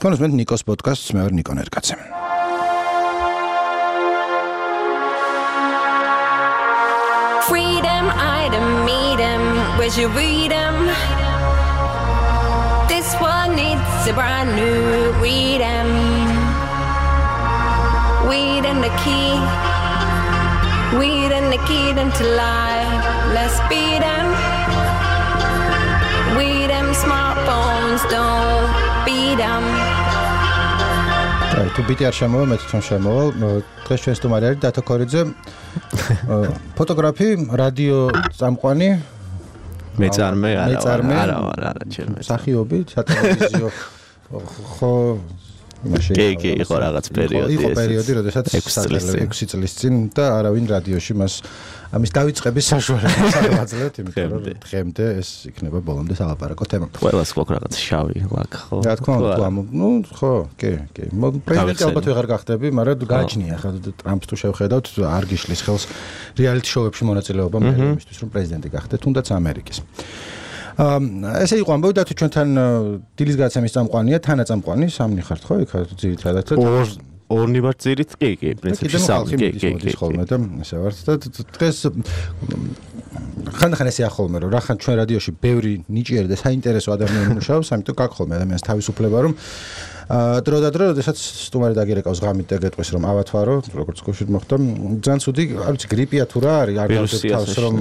თქვენს მე ნიკოს პოდკასტს მე ვარ ნიკო ნერკაცე. Freedom, I don't meet him. Where's your freedom? This one needs a brand new freedom. Weed and the key. Weed and the key to life. Let's beat them. Weed them smartphones, don't beat them. თუ ბიტი არ შემოვა, მე თვითონ შემოვალ. დღეს ჩვენ სტუმარი არის დათო ქორიძე. ფოტოგრაფი, რადიო წამყვანი. მეწარმე არა, ჩემ სახიობი, სატელევიზიო ხო კი, იყო რაღაც პერიოდი. იყო პერიოდი, როდესაც 6 წლის წინ და არავინ რადიოში მას ამის დავიწყების საშუალებას არ აძლევთ, იმიტომ რომ დღემდე ეს იქნება ბოლომდე სალაპარაკო თემა. ყველას გვაქვს რაღაც შავი ლაქ, ხო? რა თქმა უნდა, ხო, კი. პრეზიდენტი ალბათ ვეღარ გახდები, მაგრამ გააჩნია ხა ტრამპს თუ შევხედავთ, არ გიშლის ხელს რეალიტი შოუებში მონაწილეობა მე იმისთვის, რომ პრეზიდენტი გახდე, თუნდაც ამერიკის. ესე იყო ამბავი და თუ ჩვენთან დილის გადაცემის წამყვანია, თანაწამყვანი, სამნი ხართ ხო? იქ ძირითადად ორნი ვარ ძირით, კი, პრინციპში სამი, კი. ხოლმე და ესე ვართ და დღეს ხანდახან ესე ახოლმე რომ რახან ჩვენ რადიოში ბევრი ნიჭიერი და საინტერესო ადამიანი მუშაობს, ამიტომ გაქვს ხოლმე ადამიანს თავისუფლება რომ დრო და დრო, როდესაც სტუმარი დაგირეკავს ღამით და გეტყვის რომ ავათვარო, როგორც გუშინ მოხდა, ძალიან ცუდი, არ ვიცი, გრიპია თუ რა არის, არ გავდებ თავს რომ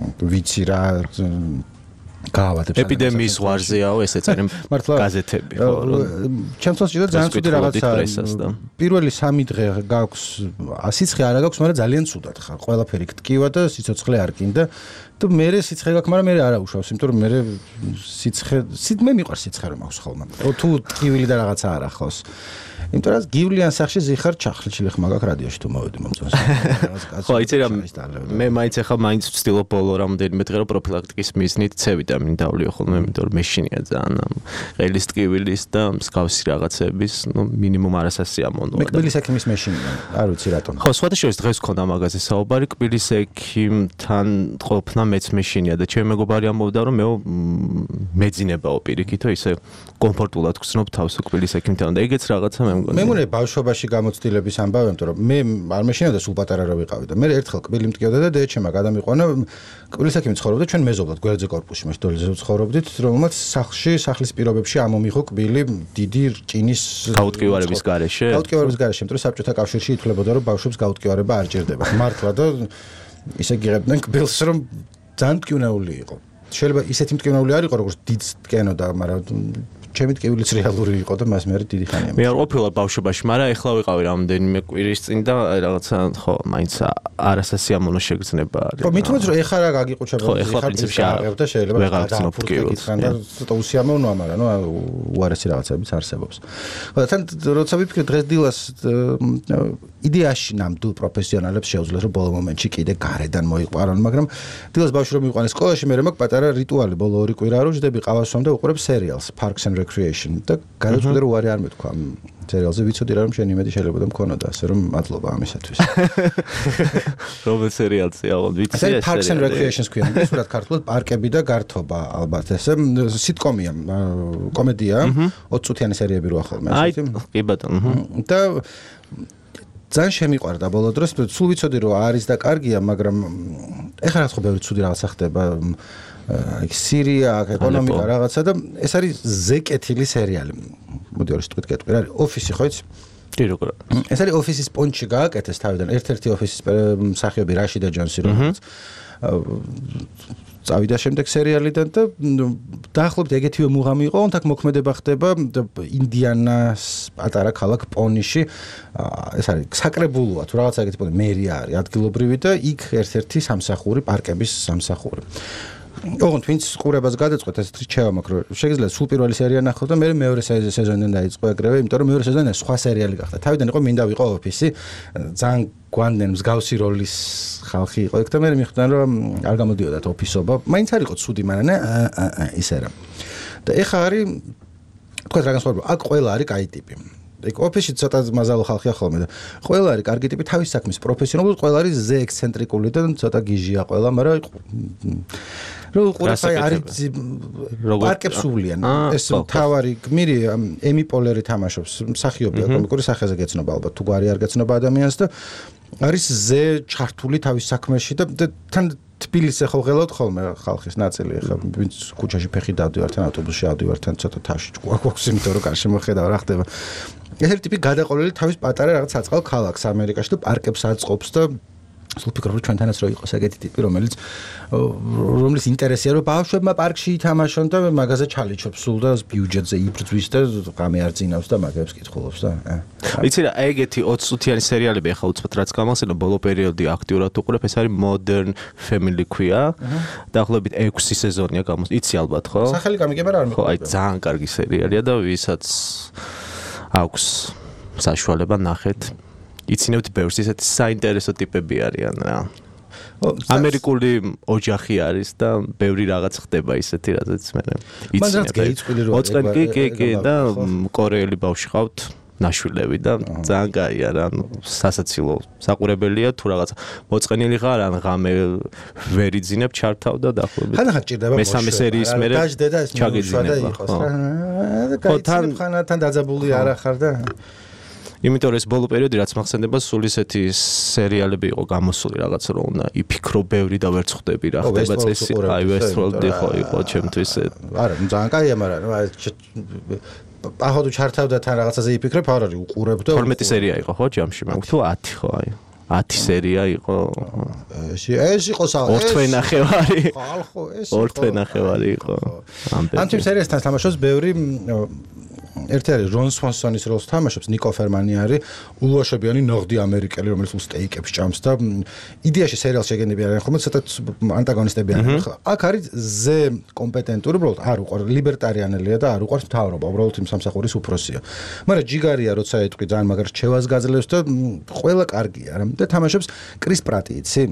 ვიცი რა გავავადებს ეპიდემიის ვარზეაო ესე წერენ გაზეთები ხო ჩემთვის ჭირდა ძალიან ცუდი რაღაცა პირველი 3 დღე გაქვს სიცხე არა გაქვს მაგრამ ძალიან ცუდად ხარ ყველაფერი გტკივა და სიცოცხლე არ გინდა და მე სიცხე გაქვს მაგრამ მე არა უშავს იმიტომ რომ მე სიცხე მე მიყვარს სიცხე რომ აქვს ხოლმე თუ ტკივილი და რაღაცა არ ახავს იმიტომ რომ გივლიან სახში ზიხარ ჩახლჩილი ხმა გაქვს რადიოში თუ მოვედი მომწონს ხო იცი რა მე მაინც ახლა მაინც ვცდილობ ბოლო რამოდენიმე დღე რომ პროფილაქტიკის მიზნით C ვიტამინი დავლიო ხოლმე იმიტომ რომ მეშინია ძალიან ყელის ტკივილის და მსგავსი რაღაცების ნუ მინიმუმ არასასიამოვნოა მე კბილის ექიმის მეშინია არ ვიცი რატომ ხო სხვადასხვა დღეს ქონდა მაგაზე საუბარი კბილის ექიმთან ყოფნა მეც მეშინია და ჩემი მეგობარი ამბობდა რომ მეძინებაო პირიქითო ისე კომფორტულად გრძნობ თავს კბილის ექიმთან და ეგეც რაღაცა მე მგონია ბავშვობაში გამოცდილების ამბავი, იმიტომ რომ მე არ მეშინია და სულ პატარა რა ვიყავი და მე ერთხელ კბილი მტკიოდა და დედაჩემ გადამიყვანა კბილის ექიმი ცხოვრობდა ჩვენ მეზობლად გვერდზე корпуსში მას დოლიზე ცხოვრობდით რომელმაც სახლის პირობებში ამომიღო კბილი დიდი რკინის გაუტკივარების გარეშე იმიტომ რომ საბჭოთა კავშირში ითვლებოდა რომ ბავშვებს გაუტკივარება არ ჭირდება მართლა და ისე გიღებდნენ კბილს რომ ძალიან მტკივნეული იყო შეიძლება ისეთი მტკივნეული არ იყო როგორც დიდ ტკენოდა მაგრამ ჩემი ტკივილიც რეალური იყო და მას მე დიდი ხანია. მე არ ყოფილა ბავშვობაში, მაგრამ ეხლა ვიყავი რამდენიმე კვირის წინ და რაღაცა ხო, მაინც არასასიამოვნო შეგრძნება არის. ხო, მithumet რომ ეხლა რა გაგიყუჩება, ეხლა პრინციპში არ და შეიძლება ვეღარ გწნობ ტკივილს. და ცოტა უსიამოვნოა, მაგრამ ნუ უარესი რაღაცებიც არსებობს. ხო, თან როცა ვიფიქრე დღეს დილას იდეაში ნამდვილ პროფესიონალებს შეუძლიათ რომ ბოლო მომენტში კიდე გარედან მოიყვარონ, მაგრამ დილას ბავშვი რომ მიყვანეს სკოლაში, მე მაქვს პატარა რიტუალი, ბოლო 2 კვირა რო ვждები ყავასვამ და უყურებ სერიალს Parks and Recreation და გადაწყვეტე რომ უარი არ მეთქვა ამ სერიალზე ვიცოდი რა რომ შენი იმედი შეიძლება და მქონოდა ასე რომ მადლობა ამისათვის. რომელ სერიალზეა ვიცი ეს Parks and Recreation ქვია, ისურად ქართულად პარკები და გართობა ალბათ ესე სიტკომია, კომედია, 20 წუთიანი სერიები როა ხოლმე ასე. კი ბატონო. და ძალიან შემიყვარდა ბოლო დროს, სულ ვიცოდი რომ არის და კარგია, მაგრამ ეხლა რა ხო ბევრი ცუდი რაღაცა ხდება სირია, ეკონომიკა რაღაცა და ეს არის ზეკეთილი სერიალი. მოდი ორი სიტყვით გეტყვი, რა არის ოფისი ხო იცი? კი როგორ. ეს არის ოფისის პონჩი გააკეთეს თავიდან, ერთ-ერთი ოფისის მსახიობი რაშიდა ჯონსი რომელიც წავიდა შემდეგ სერიალიდან და დაახლოებით ეგეთივე მუღამი იყო, თქ მოქმედება ხდება ინდიანას პატარა ქალაქ პონიში. ეს არის საკრებულოა თუ რაღაცა ეგეთი პონი მერია არის ადგილობრივი და იქ ერთ-ერთი სამსახური, პარკების სამსახური. ოღონდ ვინც ყურებას გადაწყვეტ ეს რჩევა მაქვს რომ შეგიძლიათ სულ პირველი სერია ნახო და მე მეორე სეზონიდან დაიწყო ეგრევე, იმიტომ რომ მეორე სეზონიდან სხვა სერიალი გახდა. თავიდან იყო მინდა ვიყო ოფისი, ძალიან გვანდნენ მსგავსი როლის ხალხი იყო ეგ და მე მიხვდნენ რომ არ გამოდიოდათ ოფისობა. მაინც არ იყო ცუდი, მაგრამ ისე რა. და ეხა არის თქვენ რა განსხვავება, აქ ყველა არის კაი ტიპი. ეგ ოფისში ცოტა მაზალო ხალხია ხოლმე და ყველა არის კარგი ტიპი თავის საქმის პროფესიონალურად, ყველა არის ზე ექსცენტრიკული და ცოტა გიჟია ყველა, მაგრამ რო ყურებს არის პარკებს უვლიან. ეს თავარი გმირი ემი პოლერი თამაშობს, მსახიობია, კომიკური სახეზე გეცნობა ალბათ, თუ გვარი არ გეცნობა ადამიანს და არის ზე ჩართული თავის საქმეში და თან თბილისზე ხო ღელავთ ხოლმე ხალხის ნაწილი ხა ვინც ქუჩაში ფეხი დავდივართ ან ავტობუსში ავდივართ ან ცოტა თავში გვაქვს იმიტომ რომ კარში მოხედავ რა ხდება ეს ტიპი გადაყოლილი თავის პატარა რაღაც საწყალ ქალაქს ამერიკაში და პარკებს აწყობს და სულ ფიქრობ რომ ჩვენთანაც რო იყოს ეგეთი ტიპი რომლის ინტერესია რომ ბავშვებმა პარკში ითამაშონ და მაგაზე ჩალიჩობს სულ და ბიუჯეტზე იბრძვის და ღამე არ წინავს და მაგებს კითხულობს და იცი რა ეგეთი 20 წუთიანი სერიალები ახლა უცბად რაც გამახსენდა ბოლო პერიოდი აქტიურად უყურებ ეს არის Modern Family ქვია დაახლოებით 6 სეზონია გამოს იცი ალბათ ხო სახელი გამიგება რა არ ხო აი ძალიან კარგი სერიალია და ვისაც აქვს საშუალება ნახეთ იცინებთ ბევრს ისეთი საინტერესო ტიპები არიან რა. ამერიკული ოჯახი არის და ბევრი რაღაც ხდება ისეთი რაზეც მე იცინებ. კი და კორეელი ბავშვი ყავთ ნაშვილები და ძალიან კაია რა სასაცილო საყურებელია თუ რაღაც მოწყენილი ხარ ან ღამე ვერ იძინებ ჩართავ და დაახლოებით ხანახან ჭირდება მესამე სერიის მერე დაждდა ეს ჩაგიძინება ხო თან დაძაბული არ ახარ და იმიტომ რომ ეს ბოლო პერიოდი რაც მახსენდება სულ ისეთი სერიალები იყო გამოსული რაღაც რომ უნდა იფიქრო ბევრი და ვერ ხვდები რა ხდება წესი აი Westworld იყო ჩემთვის არა ძალიან კაია მაგრამ ახლა ჩართავდა თან რაღაცაზე იფიქრებ არ არის უყურებ და 12 სერია იყო ხო ჯამში მაგ თუ 10 ხო აი 10 სერია იყო ეს იყო ორთვენახევარი ხო ეს ორთვენახევარი იყო ამ თემ სერიასთან თამაშობს ბევრი ერთი არის რონ სვანსონის როლს თამაშობს ნიკო ფერმანი არის ულუაშებიანი ნორდი ამერიკელი რომელიც სტეიკებს ჭამს და იდეაში სერიალს შეგენები არიან ხოლმე ცოტა ანტაგონისტები არიან აქ არის ზე კომპეტენტური უბრალოდ არ უყურს ლიბერტარიანელია და არ უყურს მთავრობა უბრალოდ იმ სამსახურის უფროსია მაგრამ ჯიგარია როცა ეტყვი ძალიან მაგარ რჩევას გაძლევს და ყველა კარგია რა და თამაშობს კრის პრატი იცი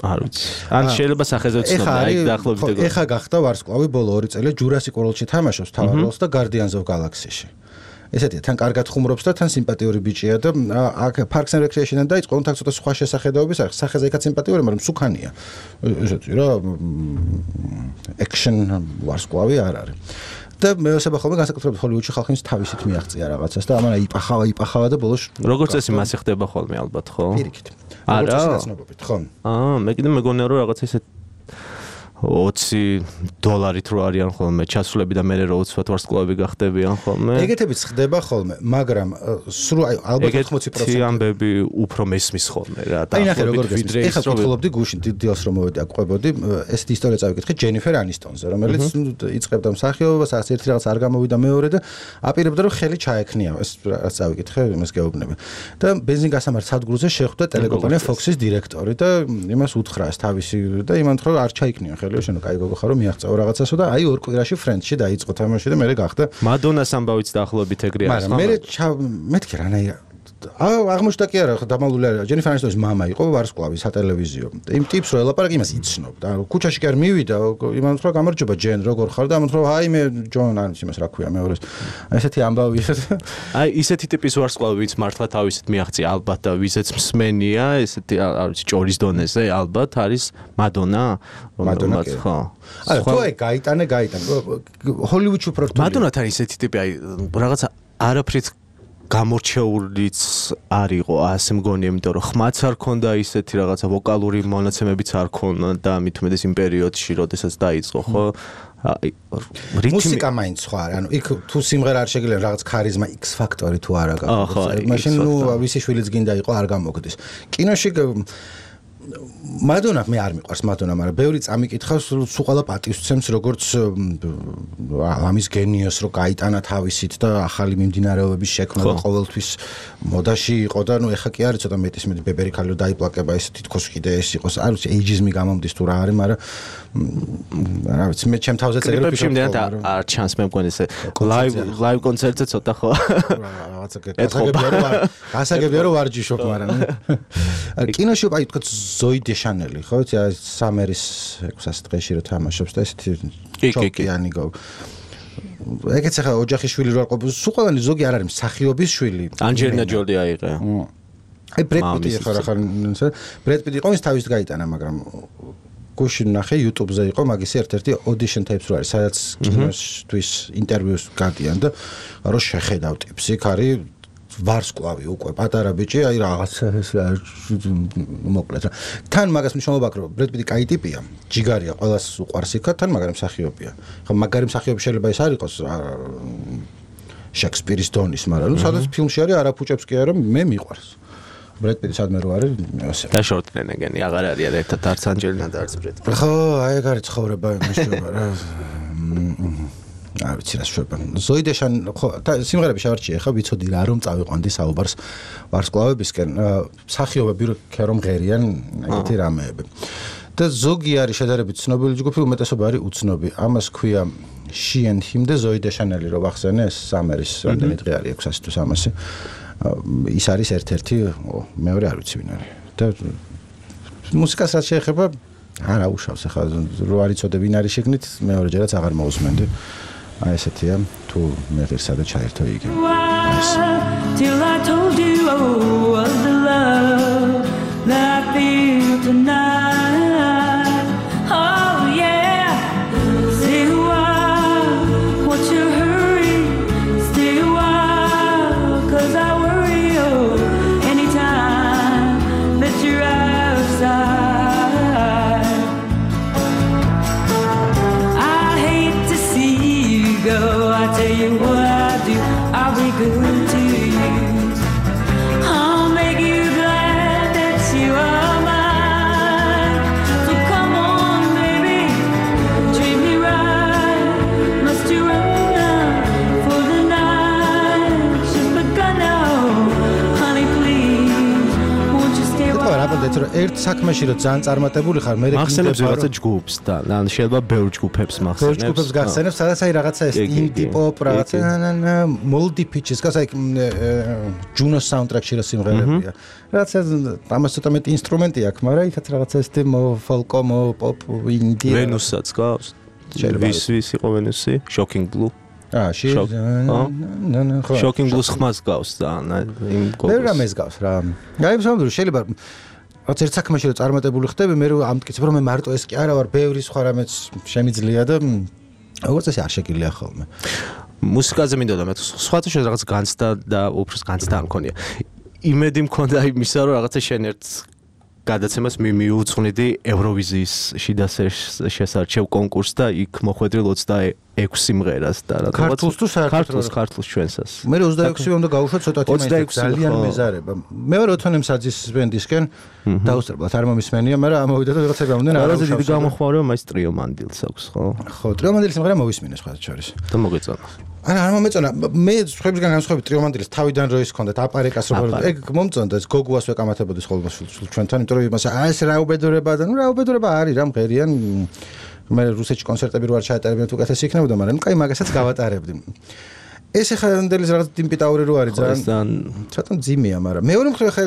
არ ვიცი. ან შეიძლება სახეზე ვცნობ, აი დაახლოებით ეგ. ეხა გახდა ვარსკვლავი ბოლო 2 წელი Jurassic World-ში თამაშობს თავარ როლს და Guardians of Galaxy-ში. ესეთია, თან კარგად ხუმრობს და თან სიმპათიური ბიჭია და აქ Parks and Recreation-დან დაიწყო, თან ცოტა სხვა შესახედაობის არის. სახეზე იქაც სიმპათიური, მაგრამ სუქანია. ესეთი რა action ვარსკვლავი არ არის. და მეოსება ხოლმე განსაკუთრებით ჰოლივუდში ხალხის თავისით მიაღწია რაღაცას და ამან იპახავა და ბოლოს როგორც წესი მასე ხდება ხოლმე ალბათ ხო? პირიქით. არა? ხო. მე კიდე მეგონია რომ რაღაც ისე $20 რო არიან ხოლმე ჩასვლები და მე რო უცბად ვარსკვლავები გახდებიან ხოლმე. ეგეთებიც ხდება ხოლმე, მაგრამ სულ ალბათ 80% ამბები უფრო მესმის ხოლმე რა. აი ნახე როგორ გესმის. ეხლა ვთხოვდი გუშინ დილს რომ მოვედი აკვებოდი, ესეთი ისტორია წავიკითხე ჯენიფერ ანისტონზე, რომელიც იწყებდა მსახიობობას, არც ერთი რაღაც არ გამოვიდა მეორე და აპირებდა რომ ხელი ჩაექნია. ეს რაც წავიკითხე, იმას გეუბნები. და ბენზინგასამართ სადგურზე შეხვდა ტელეკომპანია Fox-ის დირექტორი და იმას უთხრა ეს თავისი და იმან თქო რომ არ ჩაიქნია ხელი შენ კაი გოგო ხარო მიაღწევა რაღაცასო და აი ორ კვირაში ფრენდში დაიწყო თამაში და მე გახდა მადონას ამბავიც დაახლოებით ეგრე არის მაგრამ მე მეთქი რანაირად აღმოჩნდა კი არა დამალული არა ჯენიფერ ანისტონის მამა იყო ვარსკვლავი სატელევიზიო იმ ტიპს რო ელაპარაკი იმას იცნობდა ქუჩაში კი არ მივიდა იმან თქო გამარჯობა ჯენ როგორ ხარ და ამან თქო აი მე ჯონ არის იმას რა ქვია მეორეს ესეთი ამბავი აი ისეთი ტიპის ვარსკვლავი ვინც მართლა თავისით მიაღწია ალბათ და ვიზეც მსმენია ესეთი არ ვიცი ჭორის დონეზე ალბათ არის მადონა ხო არა თუ აი გაიტანე ჰოლივუდში უფრო რთულია მადონათან ისეთი ტიპი აი რაღაცა არაფრით გამორჩეულიც არისო ასე მგონია იმიტომ რომ ხმაც არ ქონდა ისეთი რაღაცა ვოკალური მონაცემებიც არ ქონდა და მით უმეტეს იმ პერიოდში როდესაც დაიწყო ხო მუსიკა მაინც სხვა არის ანუ იქ თუ სიმღერა არ შეგიძლია რაღაც ქარიზმა X ფაქტორი თუ არა გაქვს მაშინ ნუ ვისი შვილიც გინდა იყო არ გამოგდის კინოში მადონა მე არ მიყვარს მადონა, მაგრამ ბევრი წამიკითხავს, სულ ყველა პატივსცემს როგორც ამის გენიოს, რომ გაიტანა თავისით და ახალი მიმდინარეობების შექმნა და ყოველთვის მოდაში იყო და ნუ ეხა კი არის ცოტა მეტის მეტი ბებერი ქალი დაიპლაკება ეს თითქოს კიდე ეს იყოს, არ ვიცი, ეიჯიზმი გამომდის თუ რა არის, მაგრამ რა ვიცი, მე ჩემ თავზე წერილ ფიქრობ არ ჩანს მე მგონი ესე ლაივ კონცერტზე ცოტა ხო გასაგებია რომ ვარჯიშობ, მაგრამ კინოში აი თქო ზოი დეშანელი ხო იცი სამერის 600 დღეში რო თამაშობს და ესეთი ჩოკიანი ეგეც ახლა ოჯახის შვილი რო არ ყოფილს, სულ ყველანი ზოგი არ არის მსახიობის შვილი. ანჯელინა ჯოლი აიღე. აი ბრედ პიტი ხარ ბრედ პიტი ყონის თავის გაიტანა, მაგრამ გუშინ ნახე YouTube-ზე იყო მაგისი ერთ-ერთი audition tapes რო არის, სადაც კინოსთვის ინტერვიუს გადიან და რო შეხედავ ტიპს, იქ არის ვარსკვლავი უკვე პატარა ბიჭი, აი რაღაცა ეს მოკლედ. თან მაგას მნიშვნელობა აქვს, რომ ბრედ პიტი კაი ტიპია, ჯიგარია, ყველას უყვარს იქა, თან მაგარი მსახიობია. ხო, მაგარი მსახიობი შეიძლება ის არ იყოს შექსპირის დონის, მაგრამ სადაც ფილმში არის არაფუჭებს კი არა, მე მიყვარს. ბრედ პიტი სადმე რო არის, ასე. და შორტლენ ეგენი აღარ არიან ერთად არც ანჯელინა და არც ბრედ პიტი. ხო, აი ეგ არის ცხოვრება იმისება რა. არ ვიცი რა შვება. ზოი დეშან ხო, სიმღერები შევარჩიე ხა, ვიცოდი რა რომ წავიყვანდი საუბარს ვარსკვლავებისკენ. მსახიობები რომ ღერიან ეგეთი რამეები. და ზოგი არის შედარებით ცნობილი ჯგუფი, უმეტესობა არის უცნობი. ამას ქვია She and Him და ზოი დეშანელი რო ვახსენე, სამერის რამდენი დღე არის 600 თუ 300. ის არის ერთ-ერთი, მეორე არ ვიცი ვინ არის. და მუსიკას რაც შეეხება, არა უშავს ახლა რო არ იცოდე ვინ არის შეგნით, მეორეჯერაც აღარ მოусმენდი. აი ესეთია, თუ მე ღირსა და ჩაერთო იგი. Till I told you of the love that I feel tonight. Oh yeah, stay a while, what's your hurry? Stay a while, 'cause I worry. Oh, anytime that you're outside, I hate to see you go. I tell you what I do, I'll be good to you. I'll make you glad that you are mine. So come on, baby, treat me right. Must you run now for the night? She's begun now, honey, please, won't you stay a რა while? რაბოდეთ რომ ერთ საქმეში რომ ძალიან წარმატებული ხარ, მე მახსენებს რაღაცა ჯგუფს და ან შეიძლება ბევრ ჯგუფებს მახსენებს. ბევრ ჯგუფებს გახსენებს, სადაც აი რაღაცა ეს ინდი პოპ რაღაცა moldy pitches, გასაი ჯუნოს საუნდტრეკში რა სიმღერებია. რაღაცა ამას ცოტა მეტი ინსტრუმენტი აქვს, მაგრამ იქაც რაღაცა ეს ფოლკო, პოპ, ინდი. ვენუსაც გავს. ვის იყო ვენუსი? Shocking Blue. Shocking Blue-ს ხმას გავს ძალიან იმ გოგოს. მე რამეს გავს რა. აი სამუდრო შეიძლება რაც ერთ საქმეში რომ წარმატებული ხდები, მე რომ ამტკიცებ რომ მე მარტო ეს კი არა ვარ, ბევრი სხვა რამეც შემიძლია და როგორც ესე არ შეგიძლია ხოლმე. მუსიკაზე მინდოდა მე სხვათა შორის რაღაც განცდა და უბრალოდ განცდა არ მქონია. იმედი მქონდა იმისა რომ რაღაცა შენ ერთ გადაცემას მიუძღვნიდი ევროვიზიის შიდა შესარჩევ კონკურსს და იქ მოხვედრილ 26 სიმღერას და რა ქართულს თუ საერთოდ ქართულს ჩვენსას. მე 26-ი უნდა გავუშვა ცოტათი მაინც ძალიან მეზარება. მე ვარ ოთონემ საძის ბენდისკენ დაუსწრებლად არ მომისმენია, მაგრამ ამოვიდა და რაღაცა გამომდნენ არა დიდი გამოხმაურება მაინც ტრიო მანდილს აქვს ხო? ხო, ტრიო მანდილის სიმღერა მოვისმინე სხვა შორის. და მოგეწონა. არ მომეწონა. მე სხვებისგან განსხვავებით ტრიო მანდილის თავიდან რო ის ქონდათ აპარეკას რო ეგ მომწონდა ეს გოგუას ვეკამათებოდი ხოლმე ჩვენთან, იმიტომ რომ იმას ეს რა უბედურება და ნუ რა უბედურება არის რა მღერიან. მე რუსეთში კონცერტები რო არ ჩაატარებდნენ თუ კეთეს იქნებოდა, მაგრამ ნუ კაი მაგასაც გავატარებდი. ეს ახლა ნდელის რაღაც დიმპიტაური რო არის ძალიან ცოტა ძიმეა, მაგრამ მეორე მხრივ ხა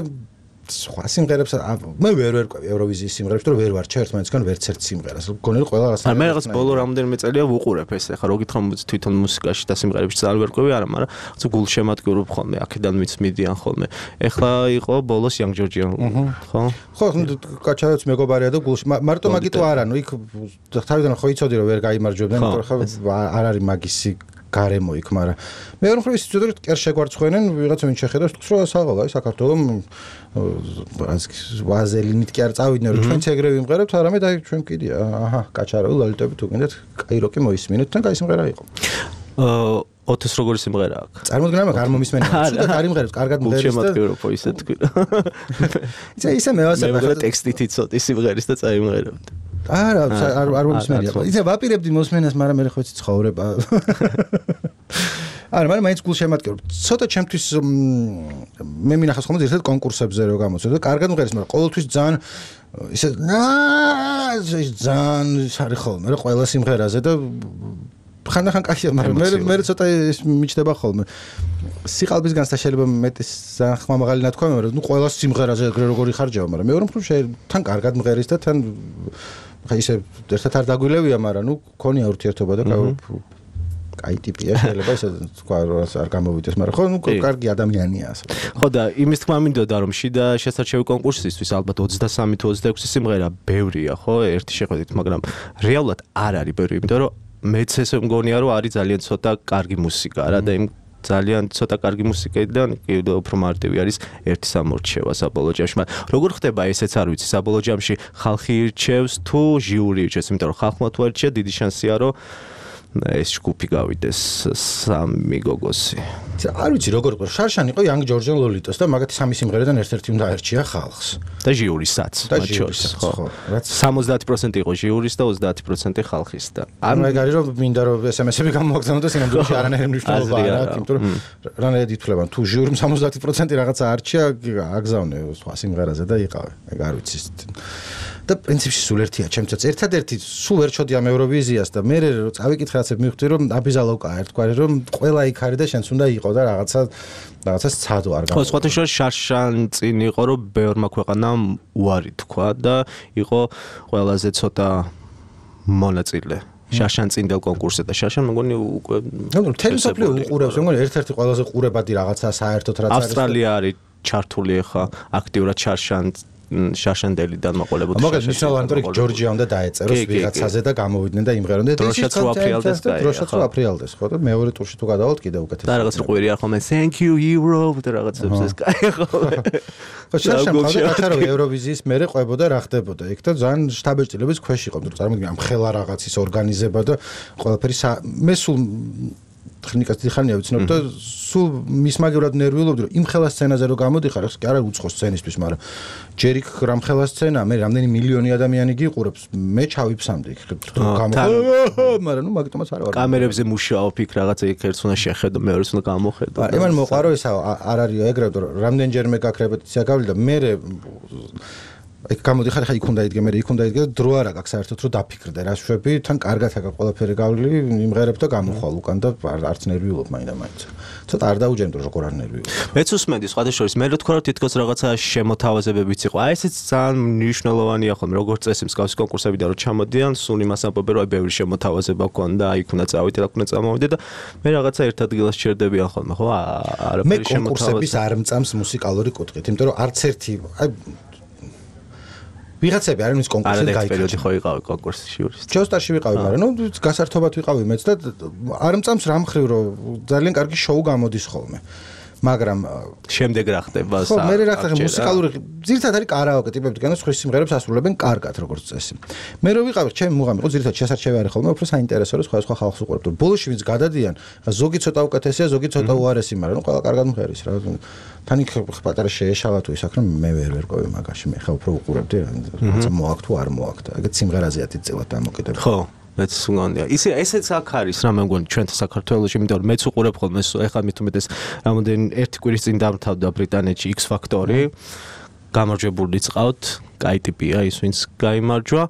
სხვა სიმღერებს მე ვერ ვერკვევი ევროვიზიის სიმღერებს, რომ ვერ ვარჩევ ერთმანეთსგან ვერც ერთ სიმღერას. გონელი ყველა რაღაცა. მე რაღაც ბოლო რამდენიმე წელია ვუყურებ ეს ახლა რო გითხრა თვითონ მუსიკაში და სიმღერებში ძალიან ვერკვევი არა, მაგრამ რაღაც გულშემატკივრობ ხოლმე, აქედან ვიც მიდიან ხოლმე. ახლა იყო ბოლოს Young Georgian, ხო? ხო, კაჩარაც მეგობარია და გულში მარტო მაგიტო არა, ნუ იქ თავიდან ხო იცოდი რომ ვერ გაიმარჯვებდნენ, იმიტომ რომ არ არის მაგისი გარემო იქ, მაგრამ მეორე მხრივ ის ცუდად კერ შეგვარცხვენენ, ვიღაცა ვინ შეხედავს, თქოს რომ საღალაა საქართველოს ვაზელინით კი არ წავიდნენ, რომ ჩვენც ეგრე ვიმღერებთ, არამედ აი ჩვენ კიდია, აჰა, კაჩარავი ლალიტები თუ გინდათ, კაიროკი მოისმინეთ, თან კაი სიმღერა იყო. ოთოს როგორი სიმღერა აქვს? წარმოდგენა მაგ არ მომისმენია. ცუდად არ იმღერებს, კარგად მღერის და შემატკივრობ ისე თქვი. ისე მევასება მე ტექსტით იცოდი სიმღერის და წაიმღერებდი. არა, არ მომისმენია. იცი ვაპირებდი მოსმენას, მაგრამ მე ხო იცი ცხოვრება. არა, მაგრამ მაინც გულშემატკივრობ. ცოტა ჩემთვის მე მინახავს ხოლმე ერთად კონკურსებზე რო გამოცემ და კარგად მღერის, მაგრამ ყოველთვის ძალიან ისე ძალიან არის ხოლმე რა ყველა სიმღერაზე და ხანდახან კაშია, მაგრამ მე ცოტა ის მიჩნდება ხოლმე. სიყალბისგანაც შეიძლება მეტი ხმამაღალი ნათქვამი, მაგრამ ნუ ყველა სიმღერაზე ეგრე როგორი ხარჯავა, მაგრამ მეორე მხრივ თან კარგად მღერის და თან ხა ისე ერთად არ დაგვილევია, მაგრამ ნუ ქონია ურთიერთობა და კაი ტიპია, შეიძლება ესე თქვა რომ არ გამოვიდეს, მაგრამ ხო, კარგი ადამიანია ასე. ხო და იმის თქმა მინდოდა რომ შიდა შესარჩევი კონკურსისთვის ალბათ 23 თუ 26 სიმღერა ბევრია, ხო, ერთი შეხედვით, მაგრამ რეალურად არ არის ბევრი, იმიტომ რომ მეც ესე მგონია რომ არის ძალიან ცოტა კარგი მუსიკა რა და იმ ძალიან ცოტა კარგი მუსიკიდან კიდევ უფრო მარტივი არის ერთი სამორჩევა საბოლოო ჯამში. მაგრამ როგორ ხდება ესეც არ ვიცი, საბოლოო ჯამში ხალხი ირჩევს თუ ჟიური ირჩევს, იმიტომ რომ ხალხმა თუ არ ირჩია, დიდი შანსია რომ ეს ჯგუფი გავიდეს სამი გოგოსი. არ ვიცი როგორ იყო, შარშან იყო Young George and Lolitos და მაგათი სამი სიმღერიდან ერთ-ერთი უნდა აერჩია ხალხს. და ჟიურისაც, მათ შორის, ხო. 70% იყო ჟიურის და 30% ხალხის და ანუ ეგ არის რომ მინდა რომ SMS-ები გამოგაგზავნოთ და სინამდვილეში არანაირი მნიშვნელობა არ აქვს, იმიტომ რომ რანაირად ითვლებიან, თუ ჟიურიმ 70% რაღაცა არჩია, აგზავნე სხვა სიმღერაზე და იყავე. ეგ არ ვიცი. და პრინციპში სულ ერთია, ჩემთვის ერთადერთი სულ ვერ ჩოდი ამ ევროვიზიას და მე რო წავიკითხე რაცებ მივხვდი რომ აბიზალოვკა ერთგვარი რომ ყველა იქ არის და შენც უნდა იყო და რაღაცას ცადო არ გავა. ხო, სხვათა შორის შარშან წინ იყო რომ ბევრმა ქვეყანამ უარი თქვა და იყო ყველაზე ცოტა მონაწილე. შარშან წინდელ კონკურსზე და შარშან მგონი უკვე მთელი მსოფლიო უყურებს, მგონი ერთ-ერთი ყველაზე ყურებადი რაღაცა საერთოდ რაც არის. ავსტრალია არის ჩართული ახლა აქტიურად შარშანდელიდან მაყოლებოდი. მაგას მნიშვნელოვანი თორე ჯორჯია უნდა დაეწეროს ვიღაცაზე და გამოვიდნენ და იმღერონ და დროშაც რო აფრიალდეს და დროშაც რო აფრიალდეს, ხო და მეორე ტურში თუ გადავალთ კიდე უკეთეს. და რაღაც ყვირი არ ხოლმე thank you Europe და რაღაცებს ეს კაი ხოლმე. ხო შარშან ყავდა კაცარო ევროვიზიის მერე ყვებოდა რა ხდებოდა იქ და ძალიან შტაბეჭდილების ქვეშ იყო, რომ წარმოგიდგენ ამ ხელა რაღაცის ორგანიზება და ყველაფერი მე სულ ტექნიკას დიხარნია ვიცნობ და სულ მისმაგევრად ნერვიულობდი რომ იმ ხელა სცენაზე რო გამოდიხარ, ეს კი არა უცხო სცენისთვის, მაგრამ ჯერ იქ რამ ხელა სცენა, მე რამდენი მილიონი ადამიანი გიყურებს, მე ჩავიფსამდი იქ მაგრამ ნუ მაგიტომაც არ ვარ. კამერებზე მუშაობ იქ რაღაცა იქ ერთს უნდა შეხედო, მეორეს უნდა გამოხედო. იმან მოყარო ესა არ არის ეგრევე რომ რამდენჯერმე გაქვს რეპეტიცია გავლის და მე იქ გამოდიხარ, ხა იქ უნდა იდგე, მე იქ უნდა იდგე და დრო არ აქვს საერთოდ რომ დაფიქრდე რა შვები, თან კარგად აქვს ყველაფერი გავლი, იმღერებ და გამოხვალ უკან და არც ნერვიულობ მაინდა-მაინც. ცოტა არ დაუჯერმდო როგორ არ ნერვიულობ. მეც უსმენდი სხვათა შორის, მე რო თქვა რომ თითქოს რაღაცა შემოთავაზებებიც იყო. აი ესეც ძალიან მნიშვნელოვანია ხოლმე, როგორც წესი მსგავსი კონკურსებიდან რო ჩამოდიან, სულ იმას ამბობენ რომ აი ბევრი შემოთავაზება გქონდა, აი იქ უნდა წავიდე, აქ უნდა წამოვიდე და მე რაღაცა ერთ ადგილას ჩერდებიან ხოლმე, ხო? არაფერი შემოთავაზება. მე კონკურსების არ მწამს მუსიკალური კუთხით, იმიტომ რომ არც ერთი აი ვიღაცები არ არის კონკურსზე გაიქცა. პერიოდი ხო იყავი კონკურსში იურისტი. ჯოსტარში ვიყავი, მაგრამ ნუ გასართობად ვიყავი მეც და არ მწამს რამ ხრივ რომ ძალიან კარგი შოუ გამოდის ხოლმე. მაგრამ შემდეგ რა ხდება? ხო, მე რა ხდება მუსიკალური ძირითადად არის კარაოკე ტიპებიდან სხვის სიმღერებს ასრულებენ კარგად როგორც წესი. მე რო ვიყავი, ჩემი მუღამი იყო ძირითადად შესარჩევი არის ხოლმე, უფრო საინტერესო რომ სხვა ხალხს უყურებთ. ბოლოში ვინც გადადიან, ზოგი ცოტა უკეთესია, ზოგი ცოტა უარესი, მაგრამ ნუ ყველა კარგად მღერის რა. თან იქ პატარა შეეშალა თუ ის აქ რომ მე ვერ ყვევი მაგაში, მე ხა უფრო უყურებდი რა მოაქვს თუ არ მოაქვს და ეგეთ სიმღერაზეა თითწილად დამოკიდებული. ხო, მეც სულანია. ესეც აქ არის რა მე მგონი ჩვენ საქართველოში, იმიტომ რომ მეც უყურებ ხოლმე ეხლა მithumetes რამოდენი ერთი კვირის წინ დამთავრდა ბრიტანეთში X Factor-ი. გამარჯვებულიც ყავთ, კაი ტიპია ის ვინც გაიმარჯვა,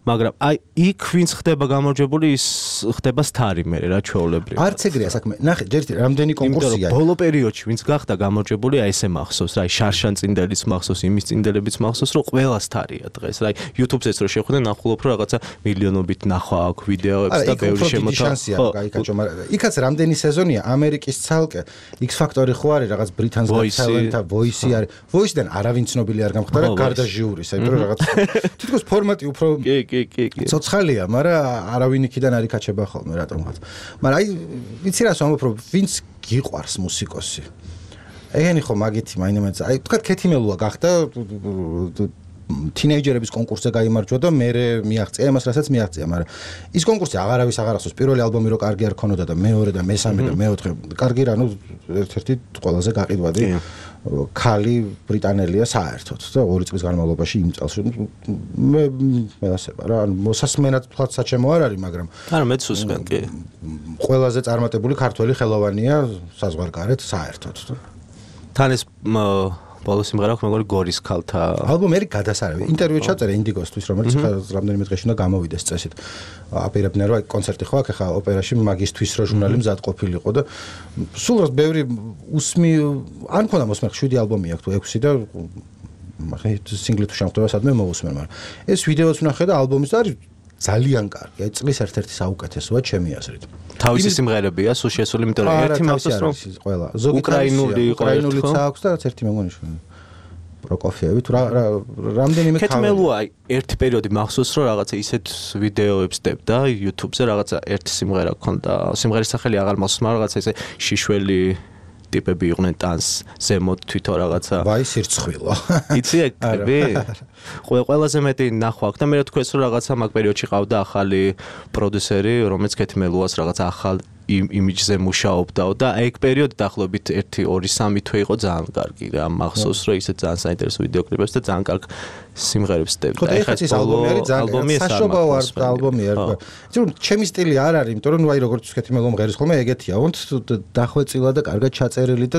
მაგრამ აი იქ ვინც ხდება გამარჯვებული, ის ხდება სტარი მე რა ჩვეულებრივ. არც ეგრეა საქმე. ნახე, ჯერ რამდენი კონკურსია. ბოლო პერიოდში ვინც გახდა გამარჯვებული, აი ესე მახსოვს, რა, შარშან წინდელიც მახსოვს, იმის წინდელებიც მახსოვს, რომ ყველა სტარია დღეს. რა, YouTube-ს რო შევხვდე, ნახულობ რომ რაღაცა მილიონობით ნახვა აქვს ვიდეოებს და ბევრი შემოთავაზება. გაიქაჩო, მაგრამ იქაც რამდენი სეზონია ამერიკის ცალკე X Factor-ი ხო არის, რაღაც Britain's Got Talent-ა, Voice-ი არის. Voice-დან არავინ ცნობილი არ გამხდარა, გარდა ჟიურის, აი რომ რაღაც თითქოს ფორმატი უფრო კი. ცოცხალია, მაგრამ არავინ იქიდან არ იკაჩება ხოლმე რატომღაც. მაგრამ აი ვიცი რას ვამბობ, რომ ვინც გიყვარს მუსიკოსი. ეგენი ხო მაგითი მაინდა-მაინც. აი თქვა ქეთიმელუა გახდა თინეიჯერების კონკურსზე გაიმარჯვა და მე მიაღწია იმას, რასაც მიაღწია, მაგრამ ის კონკურსი აღარავის აღარ ახსოვს. პირველი ალბომი რო კარგი არ ქონოდა და მეორე და მესამე და მეოთხე კარგი რა, ნუ ერთ-ერთი ყველაზე გაყიდვადი ქალი ბრიტანელია საერთოდ და 2 წლის განმავლობაში იმ წელს მე ასება რა, მოსასმენად თვალ საჩემო არ არის, მაგრამ არა მეც უსმენ კი. ყველაზე წარმატებული ქართველი ხელოვანია საზღვარგარეთ საერთოდ. თან ეს ბოლო სიმღერა აქვს მეგონი გორის ქალთა ალბომი არის გადასარევი. ინტერვიუ ჩაწერე ინდიგოსთვის, რომელიც რამდენიმე დღეში უნდა გამოვიდეს წესით. აპირებდნენ რომ კონცერტი ხო აქ ხა ოპერაში მაგისტვის რო ჟურნალი მზად ყოფილიყო და სულ რა ბევრი უსმი არ მქონდა მოსმენ 7 ალბომი აქვს თუ 6 და მაგ სინგლი თუ შემოხდება სადმე მოусმენ, მაგრამ ეს ვიდეოც ვნახე და ალბომიც არის ძალიან კარგი. აი წლის ერთ-ერთი საუკეთესოა ჩემი აზრით. თავისი სიმღერებია სულ შესული, იმიტომ რომ ერთი მახსოვს რომ ყველა უკრაინული აქვს და რაც ერთი მე მგონი პროკოფიევი თუ რამდენიმე კეთმელოა ერთი პერიოდი მახსოვს რომ რაღაცა ისეთ ვიდეოებს დებდა YouTube-ზე რაღაცა ერთი სიმღერა ქონდა სიმღერის სახელი აღარ მახსოვს მაგრამ რაღაცა ესე შიშველი ტიპები იყვნენ ტანს ზემოთ თვითონ რაღაცა ვაი სირცხვილო იცი ეკები ყველაზე მეტი ნახვა აქვს და მე რა თქვენს რომ რაღაცა მაგ პერიოდში ყავდა ახალი პროდიუსერი რომელიც კეთმელოას რაღაცა ახალ იმიჯზე მუშაობდაო და აი ეგ პერიოდი დაახლოებით 1-2-3 თვე იყო ძალიან კარგი რა მახსოვს რომ ისე ძალიან საინტერესო ვიდეოკლიპებს და ძალიან კარგ სიმღერებს დებდა ეხლა ეს ალბომი არის ძალიან საშობაო ალბომი არის იცი რომ ჩემი სტილი არ არის იმიტომ რომ აი როგორც კეთმელო მღერის ხოლმე ეგეთია ვონთ დახვეწილა და კარგად ჩაწერილი და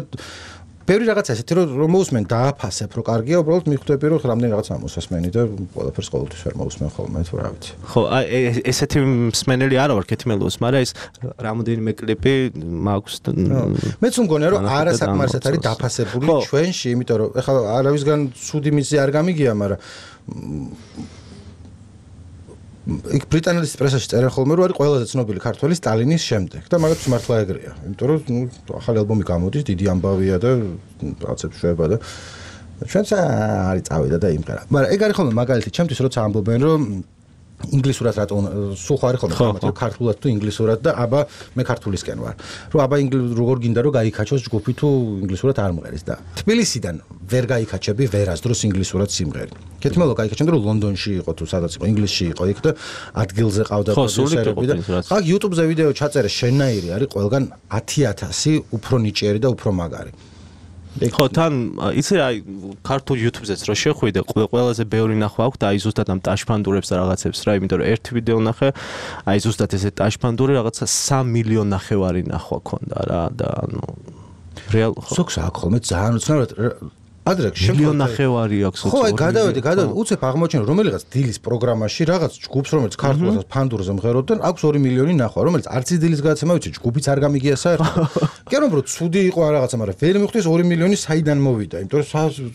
ბევრი რაღაცა ესეთი რომ მოусმენ დააფასებ რომ კარგია უბრალოდ მიხვდები რომ რამდენი რაღაცა მოსასმენი და ყველაფერს ყოველთვის ვერ მოусმენ ხოლმე თუ რა ვიცი ხო აი ესეთი მსმენელი არა ვარ კეთმელოს მაგრამ ეს რამოდენიმე კლიპი მაქვს მეც მგონია რომ არასაკმარისად არის დაფასებული ჩვენში იმიტომ რომ ეხლა არავისგან ცუდი მიზეზი არ გამიგია მაგრამ იქ ბრიტანეთის პრესაში წერენ ხოლმე რომ არის ყველაზე ცნობილი ქართველი სტალინის შემდეგ და მაგაც მართლა ეგრეა იმიტომ რომ ახალი ალბომი გამოდის დიდი ამბავია და რაღაცებს შვება და ჩვენც არის წავიდა და იმღერა მაგრამ ეგ არის ხოლმე მაგალითი ჩემთვის როცა ამბობენ რომ ინგლისურად რატომ სულ ხარ ხოლმე ხომ ქართულად თუ ინგლისურად და აბა მე ქართულისკენ ვარ რომ აბა როგორ გინდა რომ გაიქაჩოს ჯგუფი თუ ინგლისურად არ მღერის და თბილისიდან ვერ გაიქაჩები ვერასდროს ინგლისურად სიმღერი კეთმელო გაიქაჩენდა რომ ლონდონში იყო თუ სადაც იყო ინგლისში იყო იქ და ადგილზე ყავდა პროდიუსერები და აქ YouTube-ზე ვიდეო ჩაწერე შენნაირი არის ყველგან 10000 უფრო ნიჭიერი და უფრო მაგარი ხო თან იცი აი ქართულ YouTube-ზეც რო შეხვიდე ყველაზე ბევრი ნახვა აქვს და აი ზუსტად ამ ტაშფანდურებს და რაღაცებს რა იმიტომ რომ ერთი ვიდეო ნახე აი ზუსტად ესე ტაშფანდური რაღაცა 3 მილიონი ნახევარი ნახვა ქონდა რა და ანუ რეალ სოქს აქ ხოლმე ძალიან უცნაურად ადრე შემდგომ ნახევარი აქვს ხო აი გადავედი უცებ აღმოჩენ რომელიღაც დილის პროგრამაში რაღაც ჯგუფს რომელიც ქართულსაც ფანდურზე მღეროდნენ აქვს 2 მილიონი ნახვა რომელიც არც დილის გადაცემა ვიცი ჯგუფიც არ გამიგია საერთოდ კი არა რომ ცუდი იყო რაღაცა მაგრამ ვერ მიხვდეს 2 მილიონი საიდან მოვიდა იმიტომ რომ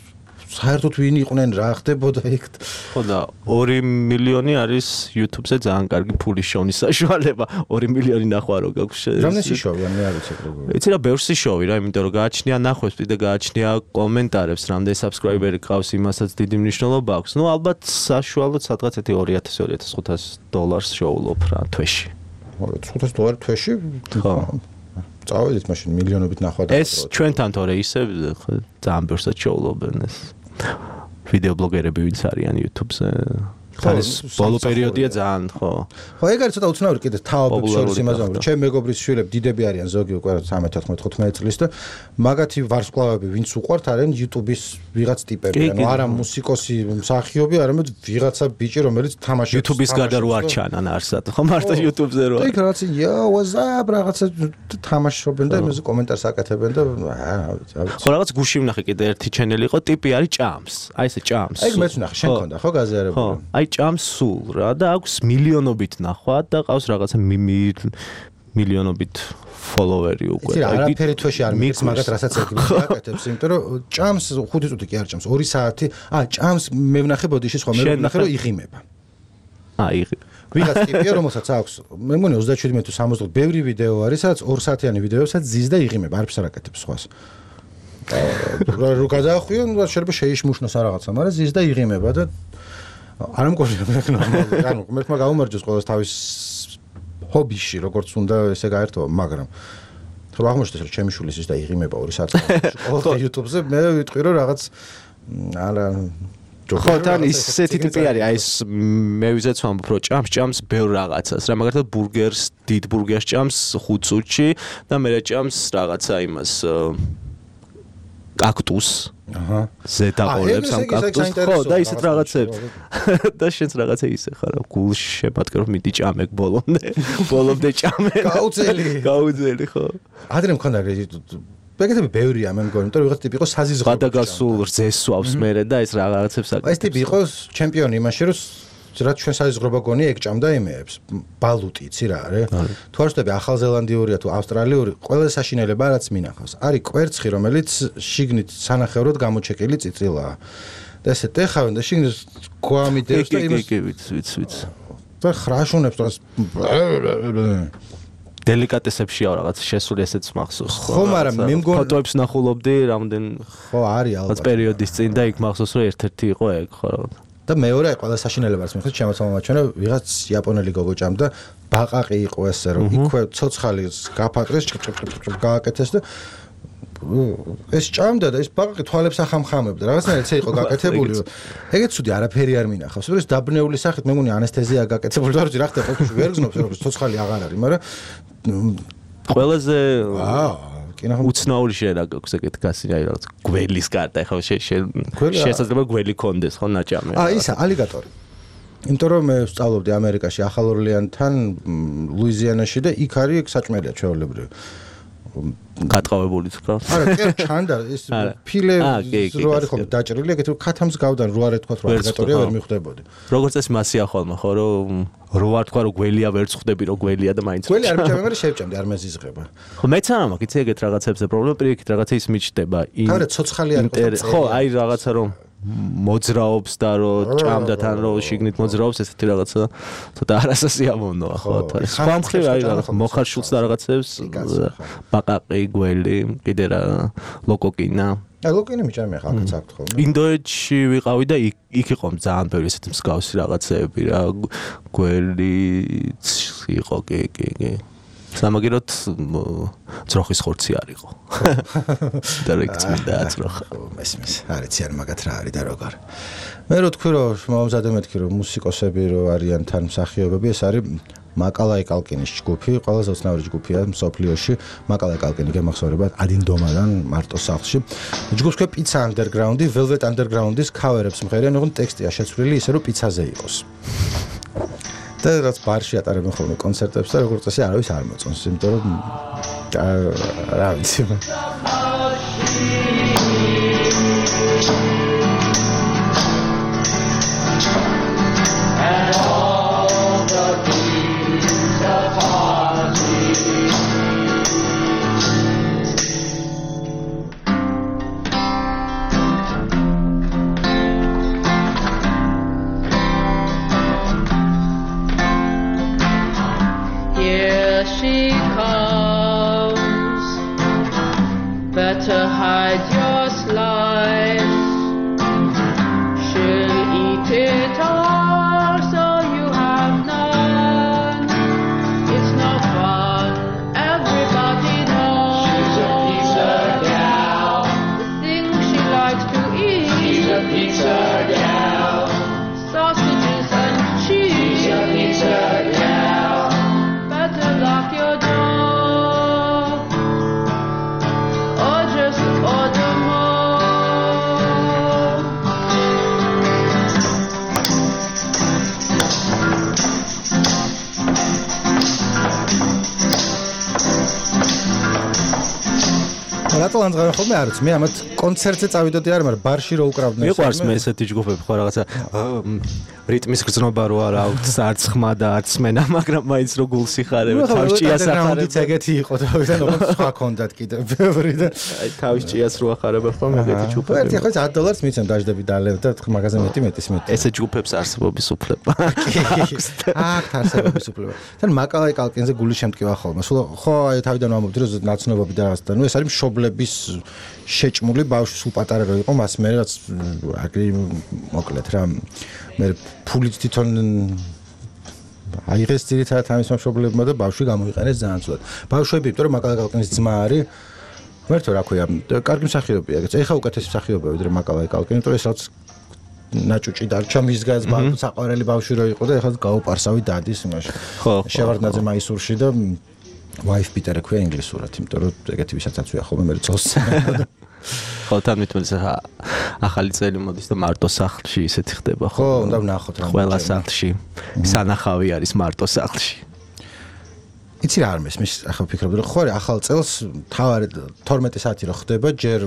საერთოდ ვინ იყვნენ რა ხდებოდა იქ ხო და 2 მილიონი არის YouTube-ზე ძალიან კარგი ფულის შოვნის საშუალება 2 მილიონი ნახვა რო გაქვს რამდენი შოვია მე არ ვიცი როგორ იცი რა ბევრსი შოვი რა იმიტომ რომ გააჩნია ნახვებს და გააჩნია კომენტარებს რამდენი subscriber-ი ყავს იმასაც დიდი მნიშვნელობა აქვს ნუ ალბათ საშუალოდ სადღაც $2000-2500 შოულობ რა თვეში $500 თვეში ხო წავედით მაშინ მილიონობით ნახვა და ეს ჩვენთან თორე ისე ძალიან ბევრსაც შოულობენ ეს ვიდეო ბლოგერები ვინც არიან YouTube-ზე ხალის ბოლო პერიოდია ძალიან ხო ეგ არის ცოტა უცნაური კიდე თავებს შორის იმაზე რომ ჩემ მეგობრის შვილები დიდები არიან ზოგი უკვე 13-14 წლის და მაგათი ვარსკვლავები ვინც უყვართ არიან YouTube-ის ვიღაც ტიპები ანუ არა მუსიკოსი მსახიობი არამედ ვიღაცა ბიჭი რომელიც თამაშობს YouTube-ის გარდა რო არ ჩანან არსად ხო მარტო YouTube-ზე რო იქ რაღაც what's-up რაღაცა თამაშობენ და იმაზე კომენტარს აკეთებენ და ხო რაღაც გუში ვნახე კიდე ერთი ჩენელი იყო ტიპი არის ჭამს აი ესე ჭამს ეგ მეც ვნახე შენ ქონდა ხო გაზიარებული აი ჭამს სულ რა და აქვს მილიონობით ნახვა და ყავს რაღაცა მილიონობით ფოლოვერი უკვე. იცი რა, არაფერი თვეში არ მიგს მაგათ რასაც აკეთებს, იმიტომ რომ ჭამს 5 წუთი კი არ ჭამს, 2 საათი. ჭამს მე ვნახე ბოდიშის ხომ, მე ვნახე რომ იღიმება. ვიღაც ტიპია რომელსაც აქვს მე მგონი 37 თუ 60 ბევრი ვიდეო არის სადაც 2 საათიანი ვიდეოებსაც ზის და იღიმება არაფერს არ აკეთებს სხვას რო გადაახვიო შეიძლება შეიშმუშნოს რაღაცა მაგრამ ზის და იღიმება და არ მგონია ნორმალური ანუ მერტმა გაუმარჯოს ყოველს თავის ჰობიში როგორც უნდა ესე გაერთო მაგრამ თუ აღმოჩნდეს რომ ჩემი შვილის ის და იღიმება 2 საათი ყოველ YouTube-ზე მე ვიტყვი რომ რაღაც არა ხო თან ისეთი ტიპი არის აი ეს მე ვიზეც ვამბობ რომ ჭამს ბევრ რაღაცას რა მაგალითად ბურგერს დიდ ბურგერს ჭამს 5 წუთში და მე ჭამს რაღაცა იმას კაქტუს ზედაყოლებს ამ კაქტუსს ხო და ისეთ რაღაცებს და შენც რაღაცა ისე ხარ გულში შემატკე რომ მიდი ჭამე ბოლომდე ჭამე გაუძელი ხო ადრე მქონდა ეგეთები ბევრია მე მგონი იმიტომ რომ ვიღაც ტიპი იყო საზიზღრო გადაგასულ რძესვავს მერე და ეს რაღაცებს აკეთებს ეს ტიპი იყო ჩემპიონი იმაში რომ რაც ჩვენ საზიზღრობა გონი ეგ ჭამდა იმეებს ბალუტი იცი რა არის თუ არ ვშტები ახალზელანდიურია თუ ავსტრალიური ყველაზე საშინელება რაც მინახავს არის კვერცხი რომელიც შიგნით სანახევროდ გამოჩეკილი წიწილაა და ესე ტეხავენ და შიგნით გვამიდებს და იმას ვიცი და ხრაშუნებს თორეს დელიკატესებშია რაღაც შესული ესეც მახსოვს. ხო, მაგრამ მე მგონი ფოტოებს ნახულობდი რამდენ ხო არის ალბათ. რაღაც პერიოდის წინ და იქ მახსოვს რომ ერთ-ერთი იყო ეგ ხო რა. და მეორე ყველა საშინელებაც მიხდით შემოწმოვაჩვენა ვიღაც იაპონელი გოგო ჭამდა ბაყაყი იყო ესე რომ იქვე ცოცხალის გაფატრეს გააკეთეს და ეს ჭამდა და ეს ბაყაყი თვალებს ახამხამებდა რაღაცნაირად ესე იყო გაკეთებული ეგეც ცუდი არაფერი არ მინახავს ეს დაბნეული სახით მე მგონი ანესთეზია გაკეთებული და რა ხდება ხო ვერ გზნობს რომ ცოცხალი აღარ არის მაგრამ ყველაზე უცნაური შეიძლება გაქვს ეგეთ გასინი აი რაღაც გველის კარტა ხო შესაძლოა გველი კონდეს ხო ნაჭამი ისა ალიგატორი იმიტომ რომ მე ვსწავლობდი ამერიკაში ახალ ორლეანთან ლუიზიანაში და იქ არის საჭმელია ჩვეულებრივი გატყავებული თქვა არა კი ჩანდა ეს ფილე რო არის ხოლმე დაჭრილი ეგეთ ქათამს გავდან რო არ ეთქვა რომ ალიგატორია ვერ მიხვდებოდი როგორც ეს მასია ხოლმე ხო რომ რო არ თქვა რომ გველია ვერ წხვდები რომ გველია და მაინც გველი არ მიჭამე მაგრამ შევჭამდი არ მეზიზღება ხო მეც არა მაქვს იცი ეგეთ რაღაცებზე პრობლემა პირიქით რაღაცა ის მიჩდება თავი ცოცხალი არ იყო ხო აი რაღაცა რომ მოძრაობს და რომ ჭამდა თან რომ შიგნით მოძრაობს ესეთი რაღაცა ცოტა არასასიამოვნოა ხო სხვა მხრივ არის რაღაც მოხარშულს და რაღაცებს ბაყაყი გველი კიდე რა ლოკოკინა ლოკოკინი მიჭამე ხა აქაც აქვს ხოლმე ინდოეთში ვიყავი და იქ იყო ძალიან ბევრი ესეთი მსგავსი რაღაცეები რა გველიც იყო კი სამაგეროთ ძროხის ხორცი არისო. და რეკწმინდა ძროხა. მესმის, არიცი არ მაგათ რა არის და როგორ. მე რო თქვი რომ მომზადე მეთქი რომ მუსიკოსები რო არიან თან მსახიობები, ეს არის მაკალაი კალკინის ჯგუფი, ყველაზე უცნაური ჯგუფია მსოფლიოში. მაკალაი კალკინი გემახსოვრება ადინდომადან მარტო სახლში. ჯგუფს ქვია პიცა ანდერგრაუნდი, ველვეტ ანდერგრაუნდის ქავერებს მღერიან, ოღონდ ტექსტია შეცვლილი ისე რომ პიცაზე იყოს. და რაც ბარში ატარებენ ხოლმე კონცერტებს და როგორც წესი არავის არ მოწონს, იმიტომ რომ რა ვიცი. Better hide your slice. She'll eat it all, so you have none. It's no fun, everybody knows. She's a pizza gal. The things she likes to eat. She's a pizza gal. Sausages and cheese. She's a pizza gal. Better lock your door. Order more. რატომ ამღარ ხოლმე არც მე ამათ კონცერტზე წავიდოდი არ მაგრამ ბარში რო უკრავდნენ მიყვარს მე ესეთი ჯგუფები ხო რაღაცა რიტმის გრძნობა რო არ აქვს არც ხმა და არც მენა მაგრამ მაინც რო გულს იხარებ თავის ჭიას ახარებ ეგეთი იყო თავიდან ოღონდ სხვა კონდათ კიდე ბევრი და აი თავის ჭიას რო ახარებ ხოლმე ეგეთი ჯგუფები ერთი ხო $10 მიცემ დაждები დალევ და მაგაზე მეტი ესე ჯგუფებს არსებობის უფლება აქ არსებობის უფლება თან მაკალაი კალკინზე გული შემტკივა ხოლმე სულ ხო აი თავიდან ვამბობდი რომ ნაცნობები და რაღაცა ნუ ეს არის მშობლების შეჭმული ბავშვი სულ პატარა რო იყო მას მე რაც აგრი მოკლედ რა მე ფულით თვითონ აიღეს ძირითადად ამის მშობლებმა და ბავშვი გამოიყენეს ძალიან ცუდად ბავშვები იმიტომ რომ მაკალაი კალკინის ძმა არის ვერთო რა ქვია კარგი მსახიობია ეგეც ეხა უკეთესი მსახიობია ვიდრე მაკალაი კალკინი იმიტომ ეს რაც ნაჭუჭი დარჩა მის გაზ საყვარელი ბავშვი რო იყო და ეხლა გაუპარსავი დადის იმაში შევარდნაძე მაისურში და wife Peter ქვია ინგლისურად, იმიტომ რომ ეგეთი ვისაც აწვია ხოლმე მე წელს. ხო, თან მithumetes ახალი წელი მოდის და მარტო სახლში ისეთი ხდება ხო? ხო, უნდა ვნახოთ რა. ყველა სახლში სანახავი არის მარტო სახლში. იცი რა არ მის ახლა ვფიქრობდი რომ ხო არის ახალ წელს თავარი 12 საათი რო ხდება ჯერ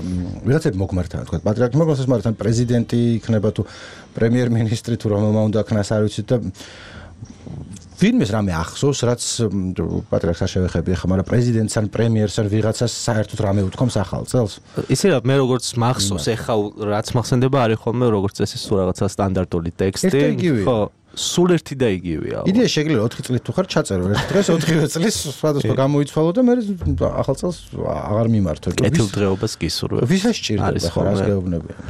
ვიღაცები მოგმართან თქვა პატრიარქი მოგმართან პრეზიდენტი იქნება თუ პრემიერ-მინისტრი თუ რომელმა უნდა ქნას არ ვიცით და ვინმეს რამე ახსოვს რაც პატრიარქს არ შევეხები ახლა მაგრამ პრეზიდენტს ან პრემიერს ან ვიღაცას საერთოდ რამე უთქვამს ახალ წელს იცი რა მე როგორც მახსოვს ახლა რაც მახსენდება არის ხოლმე როგორც წესი სულ რაღაცა სტანდარტული ტექსტი ხო სულ ერთი და იგივეა. იდეა შეგიძლია 4 წლით თუ ხარ ჩაწერო ერთ დღეს 4 წლის სხვადასხვა გამოიცვალო და მე ახალ წელს აღარ მიმართო. კეთილდღეობას გისურვებ. ვისაც სჭირდება ხარ ას გეუბნებიან.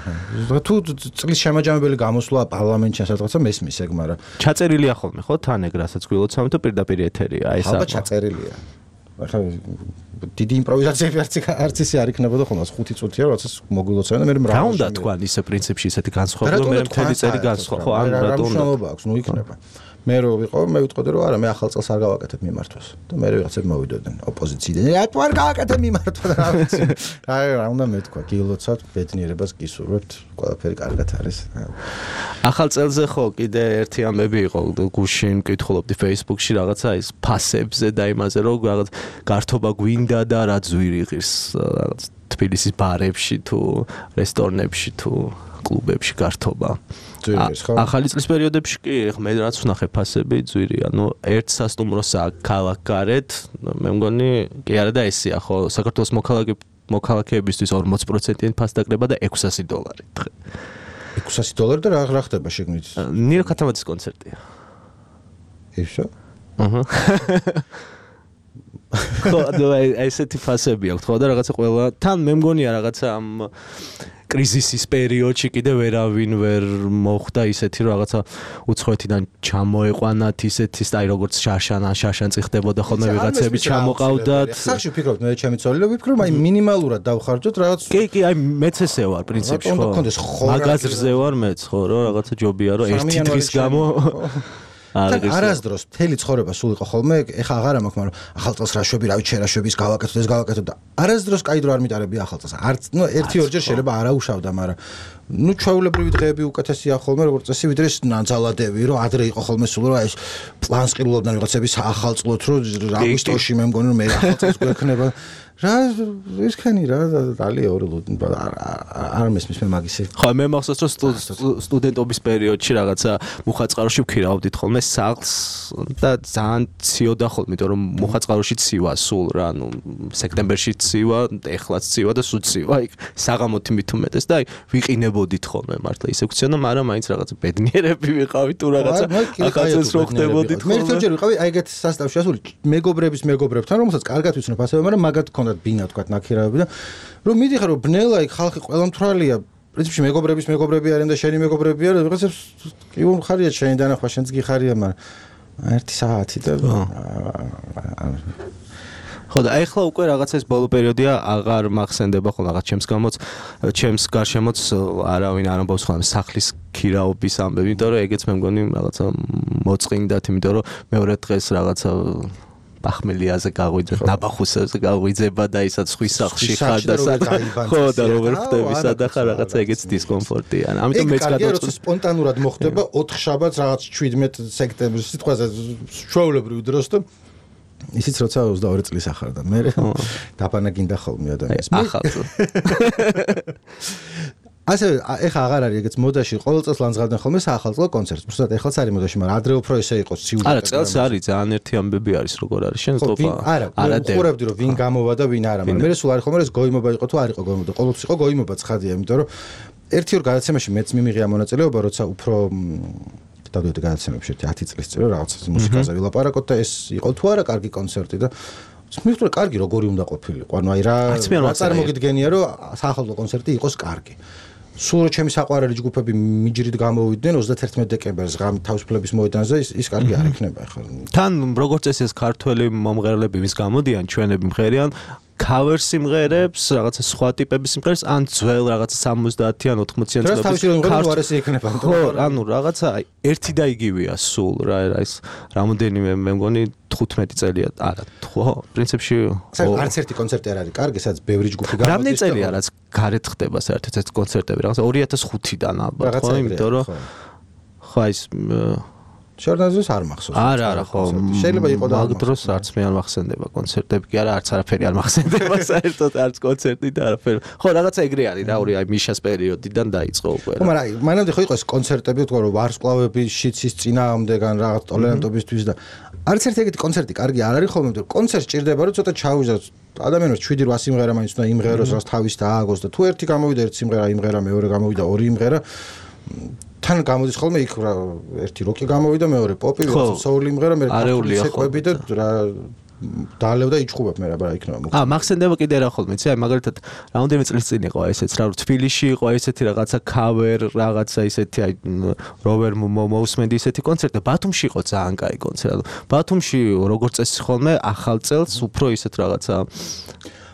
თუ წლის შემაჯამებელი გამოსვლა პარლამენტში სადღაცა მესმის ეგ, მაგრამ ჩაწერილია ხოლმე ხო თან ეგ რასაც გვილოცავთ თუ პირდაპირ ეთერია აი ეს ალბათ ჩაწერილია. ახლა დიდი იმპროვიზაციები არც ისე არ იქნებოდა ხოლმე 5 წუთია როდესაც მოგვილოცავენ და მე რა უნდა თქვა ისე პრინციპში ისეთი განსხვავება მე მთელი წელი განსხვავ ხო ან რატო უნდა აქვს ნუ იქნება მე რო ვიყო მე ვიტყოდი რომ არა მე ახალ წელს არ გავაკეთებ მიმართვას და მე ვიღაცები მოვიდოდნენ ოპოზიციიდან რატო არ გავაკეთებ მიმართვა რა ვიცი რა უნდა მეთქვა გილოცავთ ბედნიერებას გისურვებთ ყველაფერი კარგად არის ახალ წელზე ხო კიდე ერთი ამბები იყო გუშინ მკითხულობდი Facebook-ში რაღაცა ის ფასებზე და იმაზე რომ რაღაც გართობა გვინდა და რა ძვირი ღირს რაღაც თბილისის ბარებში თუ რესტორნებში თუ კლუბებში გართობა. ახალი წლის პერიოდებში კი მე რაც ვნახე ფასები ძვირი, ანუ ერთ სასტუმროსა ქალაქგარეთ, მე მგონი კი არა და ესეა ხო, საქართველოს მოქალაქეებისთვის 40%-იანი ფასდაკრება და $600 დღე. $600 და რა ხდება შეგნით? ნირო ქათამაძის კონცერტია. ისო? აჰა. ხო, ესეთი ფასები აქვს, ხო და რაღაცა ყველა თან მე მგონია რაღაცა ამ კრიზისის პერიოდში კიდე ვერავინ ვერ მოხდა ისეთი რომ რაღაცა უცხოეთიდან ჩამოეყვანათ ისეთი აი როგორც შაშან წიხდებოდა ხოლმე ვიღაცები ჩამოყავდათ. სახში ვფიქრობთ მე ჩემი ცოლი ვიფიქრობ აი მინიმალურად დავხარჯოთ რაღაც კი აი მეც ესე ვარ პრინციპში ხო მაგაზრზე ვარ მეც ხო რომ რაღაცა ჯობია რომ ერთი დღის გამო არასდროს მთელი ცხოვრება სულ იყო ხოლმე ეხა აღარა მაქვს მაგრამ ახალ წელს რა შვები რა ვიცი რა შვების გავაკეთოთ ეს გავაკეთოთ და არასდროს კაი დრო არ მიტარებია ახალ წელს არც ნუ ერთი ორჯერ შეიძლება არაუშავდა მაგრამ ნუ ჩვეულებრივი დღეები უკეთესია ხოლმე როგორც წესი ვიდრე ნანძალადები რომ ადრე იყო ხოლმე სულ რომ აი ეს პლანს ყიდულობდნენ ვიღაცების ახალწლოთ რომ აგვისტოში მე მგონი რომ მე ახალ წელს გვექნება რა ისქენი რა დალია ორი არ მესმის მე მაგისი ხო მე მახსოვს რომ სტუდენტობის პერიოდში რაღაცა მუხაწყაროში ვქირავდით ხოლმე სახლს და ძალიან ციოდა ხოლმე იმიტომ რომ მუხაწყაროში ცივა სულ რა ანუ სექტემბერში ცივა ეხლაც ცივა და სულ ცივა იქ საღამოთი მით უმეტეს და აი ვიყინებოდით ხოლმე მართლა ისე ვქცენა მაგრამ მაინც რაღაცა ბედნიერები ვიყავით თუ რაღაცა ახალწელს რო ხდებოდით მე ერთჯერ ვიყავი აი ეგეთ სასტავში ასული მეგობრებთან რომელსაც კარგად ვიცნობ ასევე მაგრამ მაგათ ქონდათ ბინა თქვა ნაქირავები და რომ მიდიხარ რომ ბნელა იქ ხალხი ყველა მთვრალია პრინციპში მეგობრები არიან და შენი მეგობრები არა ვიღაცებს კი ხარია შენი დანახვა შენც გიხარია მაგრამ ერთი საათი და ხო და ახლა უკვე რაღაცა ეს ბოლო პერიოდია აღარ მახსენდება ხოლმე რაღაც ჩემს გარშემოც არავინ არ ამბობს ხოლმე სახლის ქირაობის ამბები იმიტომ რომ ეგეც მე მგონი რაღაცა მოწყინდათ იმიტომ რომ მეორე დღეს რაღაცა ბახმელიაზე გაღვიძებ, ნაბახუსებზე გაღვიძება და ისაც ხვის სახლში ხარ და ხო და როგორ ხდები სადა ხარ რაღაცა ეგეც დისკომფორტია. ამიტომ მეც გადავწყვეტ სპონტანურად მოხდება 4 შაბათს რაღაც 17 სექტემბერს სიტყვაზე ჩვეულებრივ დროს და ისიც როცა 22 წლის ახარ და მე დაბანაგინდა ხოლმე ადამიანს. ახალწლ ასე ეხა აღარ არის ეგეც მოდაში ყოველ წელს ლანძღავდნენ ხოლმე საახალწლო კონცერტს. უბრალოდ ეხლაც არის მოდაში, მაგრამ ადრე უფრო ესე იყო ციუდა. არა, წელს არის ძალიან ერთი ამბები არის როგორ არის შენ თქო. არა, ხურებდი რომ ვინ გამოვა და ვინ არა, მაგრამ მე სულ არის ხოლმე ეს გოიმობა იყო თუ არ იყო გოიმობა. ყოველთვის იყო გოიმობა ცხადია, იმიტომ რომ ერთი ორ გადაცემაში მეც მიმიღია მონაწილეობა, როცა უფრო დავდივდი გადაცემებში 10 წლის წინ რაღაც მუსიკაზე ვილაპარაკოთ და ეს იყო თუ არა კარგი კონცერტი და მიხდრა კარგი როგორი უნდა ყოფილიყო. ანუ აი რა წარმოგიდგენია რომ საახალწლო კონცერტი იყოს კარგი. სულ ჩემი საყვარელი ჯგუფები მიჯრით გამოვიდნენ 31 დეკემბერს ღამით თავისუფლების მოედანზე ის კარგი არ იქნება ახლა. თან როგორც ეს ქართველი მომღერლები ვის გამოდიან ჩვენები მღერიან cover სიმღერებს, რაღაცა სხვა ტიპების სიმღერებს, ან ძველ რაღაცა 70-იან 80-იან წლების ხო, ანუ რაღაცა ერთი და იგივეა სულ რა ეს რამოდენიმე მე მგონი 15 წელია, არა, ხო, პრინციპში არც ერთი კონცერტი არ არის კარგი, სადაც ბევრი ჯგუფი გამოდის. რამდენი წელია რაც გარეთ ხდება საერთოდ ეს კონცერტები, რაღაცა 2005-დან ალბათ, ხო, იმიტომ რომ ხო ის შორნაზოს არ მახსოვს. არა, ხო. შეიძლება იყო და მაგ დროს არც მე არ მახსენდება კონცერტები, კი არა, არც არაფერი არ მახსენდება საერთოდ, არც კონცერტი და არაფერი. ხო, რაღაცა ეგრე არის რა, ორი აი მიშას პერიოდიდან დაიწყო უკვე. ხო, მაგრამ აი, მანამდე ხო იყო ეს კონცერტები, თქო რომ ვარსკვლავები შიცის წინააღმდეგან რაღაც ტოლერანტობისთვის და არც ერთი ეგეთი კონცერტი კარგი არ არის ხოლმე, მაგრამ კონცერტს ჭირდება რომ ცოტა ჩაუვიზოს ადამიანებს 7-8 სიმღერა მაინც უნდა იმღეროს, რაც თავის დააგოს და თუ ერთი გამოვიდა ერთი სიმღერა იმღერა, მეორე გამოვიდა ორი იმღერა თან გამოდის ხოლმე იქ ერთი როკი გამოვიდა, მეორე პოპი, ვიღაცა soul იმღერა, მე ცეკვები და რა დაალევ და იჭხუბებ მე რა იქნება. მახსენდება კიდე რა ხოლმე, იცი, აი მაგალითად რამდენიმე წლის წინ იყო ესეც რა, თბილისში იყო ესეთი რაღაცა cover, რაღაცა ისეთი აი როვერ მოусმენდი ისეთი კონცერტი, ბათუმში იყო ძალიან კაი კონცერტი. ბათუმში როგორც წესი ხოლმე ახალ წელს უფრო ისეთ რაღაცა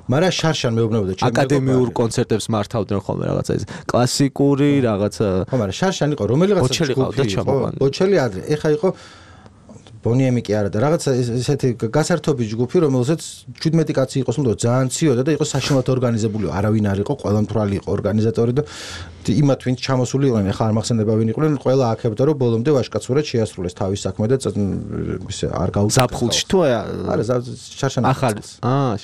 მარა შარშან მეუბნებოდა ჩემი აკადემიურ კონცერტებს მართავდნენ ხოლმე რაღაცა ის კლასიკური რაღაცა. ხო, მაგრამ შარშან იყო რომელიღაცა ჯგუფი, ბოჩელი ადრე, ეხა იყო ბონიემი კი არა და რაღაცა ესეთი გასართობი ჯგუფი, რომელსაც 17 კაცი იყოს, უნდა ძალიან ციოდა და იყო საშინლად ორგანიზებული, არავინ არ იყო, ყველა მთვრალი იყო ორგანიზატორი და იმათ ვინც ჩამოსული იყვნენ, ახლა არ მახსენდება ვინ იყვნენ, ყველა აქებდა რომ ბოლომდე ვაშკაცურად შეასრულეს თავის საქმე და ისე არ გაუწევს. ზაფხულში თუ არა, შარშან ახალ.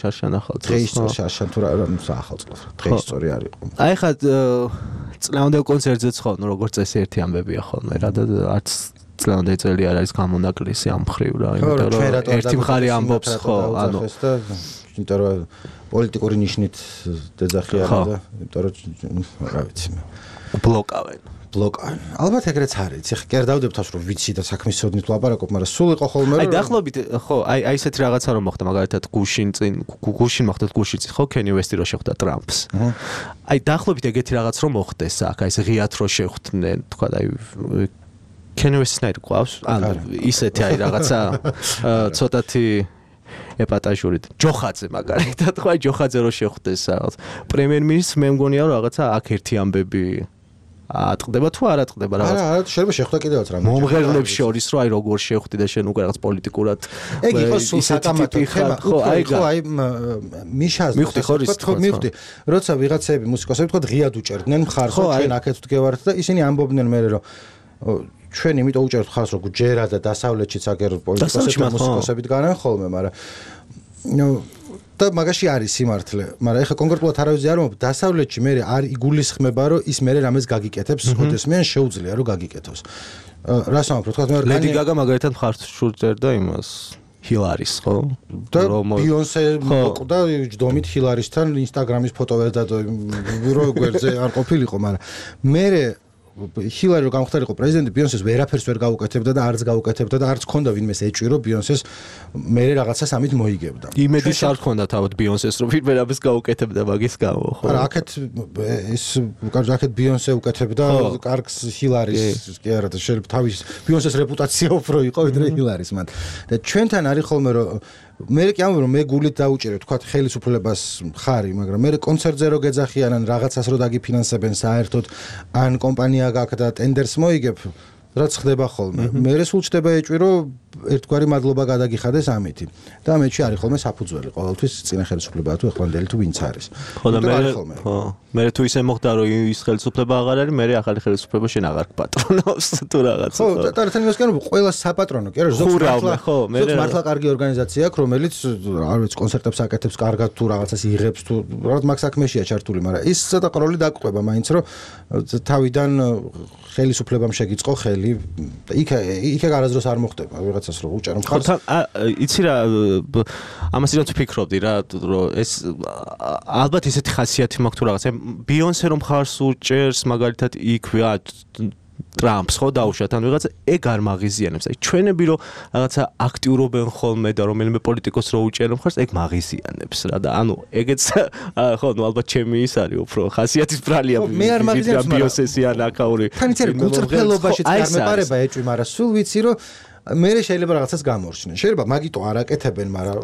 შარშან ახალ წელს. დღეის წელს შარშან თუ რა ახალ წელს. დღეის სწორი არ იყო. აი ხა წლევანდელ კონცერტზეც ხო, როგორც წესი ერთი ამბებია ხოლმე რა და არც წლევანდელი წელი არ არის გამონაკლისი ამ მხრივ რა, იმიტომ რომ ერთი მხარე ამბობს ხო, ანუ იმიტომ რომ პოლიტიკური ნიშნით დეძახი არა და იმიტომ რომ რა ვიცი მე ბლოკავენ. ალბათ ეგრეც არის. ეხლა კი არ დავდებ თავს რომ ვიცი და საქმის სოდნით ვლაპარაკობ, მაგრამ სულ იყო ხოლმე რომ აი დაახლოებით ხო, აი ესეთი რაღაცა რომ მოხდა, მაგალითად გუშინ მოხდა გუშინ ხო, Kanye West-ი რო შეხვდა Trumps. აი დაახლოებით ეგეთი რაღაც რომ მოხდეს აქ, აი ეს ღიად რო შეხვდნენ, თქვა აი Kanye West-ის ნაირი ყავს, ანუ ისეთი აი რაღაცა ცოტათი ეპატაჟურით. ჯოხაძე მაგალითად, ხო აი ჯოხაძე რო შეხვდეს რაღაც პრემიერ-მინისტრს, მე მგონია რომ რაღაცა აქ ერთი ამბები ატყდება თუ არ ატყდება რაღაც. არა, შეიძლება შეხვდა კიდევაც რამე. მომღერლებს შორის რო აი როგორ შეხვდი და შენ უკვე რაღაც პოლიტიკურად ეგ იყო სულ საკამათო ხება. ხო, აი მიშას მივხვდი. როცა ვიღაცები მუსიკოსები თქო ღიად უჭერდნენ მხარს, რომ ჩვენ აქეთ ვდგევართ და ისინი ამბობდნენ მე რომ ჩვენ იმიტომ უჭერთ ხარს რომ ჯერა და დასავლეთშიც აგერ პოლიტიკოსები და მუსიკოსები დგანან ხოლმე, მაგრამ და მაგაში არის სიმართლე, მაგრამ ეხლა კონკრეტულად არავის არ მომბ დასავლეთში მე არ იგულისხმება რომ ის მე რამეს გაგიკეთებს, ოდესმე შეუძლია რომ გაგიკეთოს. რას ამბობ, თქვა მე ლედი გაგა მაგალითად მხარს შურწერდა იმას ჰილარის ხო? და ბიონსე მოკვდა ჯდომით ჰილარისთან ინსტაგრამის ფოტო ვერ დადო რო გვერდზე არ ყოფილიყო, მაგრამ მე ჰილარი რო გამختارიყო პრეზიდენტი, ბიონსეს ვერაფერს ვერ გაუკეთებდა და არც გაუკეთებდა და არც ქონდა ვინმეს ეჭვი რომ ბიონსეს მე რაღაცას ამით მოიგებდა. იმედის არ ქონდა თავად ბიონსეს რომ ვერაფერს გაუკეთებდა მაგის გამო, ხო? არა, აქეთ ეს აქეთ ბიონსე უკეთებდა კარგს ჰილარის კი არა და შეიძლება თავის ბიონსეს რეპუტაცია უფრო იყო ვიდრე ჰილარის მან. და ჩვენთან არის ხოლმე რომ მე კი ამბობ რომ მე გულით დაუჭერე თქვა ხელისუფლებას ხარი, მაგრამ მე კონცერტზე რო გეძახიან ან რაღაცას რო დაგიფინანსებენ საერთოდ ან კომპანია გაქვს და ტენდერს მოიგებ, რაც ხდება ხოლმე. მე სულ ჩდება ეჭვი რომ ერთგვარი მადლობა გადაგიხადეს ამითი. და მეჩი არის ხოლმე საფუძველი ყოველთვის წინა ხელისუფლება თუ ახლანდელი თუ ვინც არის. ხო და მე თუ ისე მოხდა რომ ის ხელისუფლება აღარ არის, მე ახალი ხელისუფლება შენ აღარ გპატრონავს თუ რაღაცა. ხო, და თან იმას განვ ყველა საპატრონო კი არა, ზოგადად მართლა კარგი ორგანიზაცია აქვს, რომელიც არ ვიცი კონცერტებს აკეთებს კარგად თუ რაღაცას იღებს თუ რაღაც მაგ საქმეშია ჩართული, მაგრამ ის ცოტა ყროლი დაგყვება მაინც რომ თავიდან ხელისუფლებამ შეგიწყო ხელი და იქ არასდროს არ მოხდება ვიღაცას რომ უჭერო მხარს. იცი რა ამას რაც ვფიქრობდი რა რომ ეს ალბათ ისეთი ხასიათი მაქვს თუ რაღაცა ბიონსე რომ მხარს უჭერს მაგალითად იქ ტრამპს ხო დაუშვათ ან ვიღაცა ეგ არ მაღიზიანებს. აი ჩვენები რომ რაღაცა აქტიურობენ ხოლმე და რომელიმე პოლიტიკოს რო უჭერენ მხარს ეგ მაღიზიანებს რა და ანუ ეგეც ხო ნუ ალბათ ჩემი ის არის უფრო ხასიათის ბრალია მე არ მაღიზიანებს ბიოსესი ან აკაური თან იცი გულწრფელობაშიც არ მეპარება ეჭვი, მაგრამ სულ ვიცი რომ მე შეიძლება რაღაცას გამორჩნენ. შეიძლება მაგიტო არ აკეთებენ, მაგრამ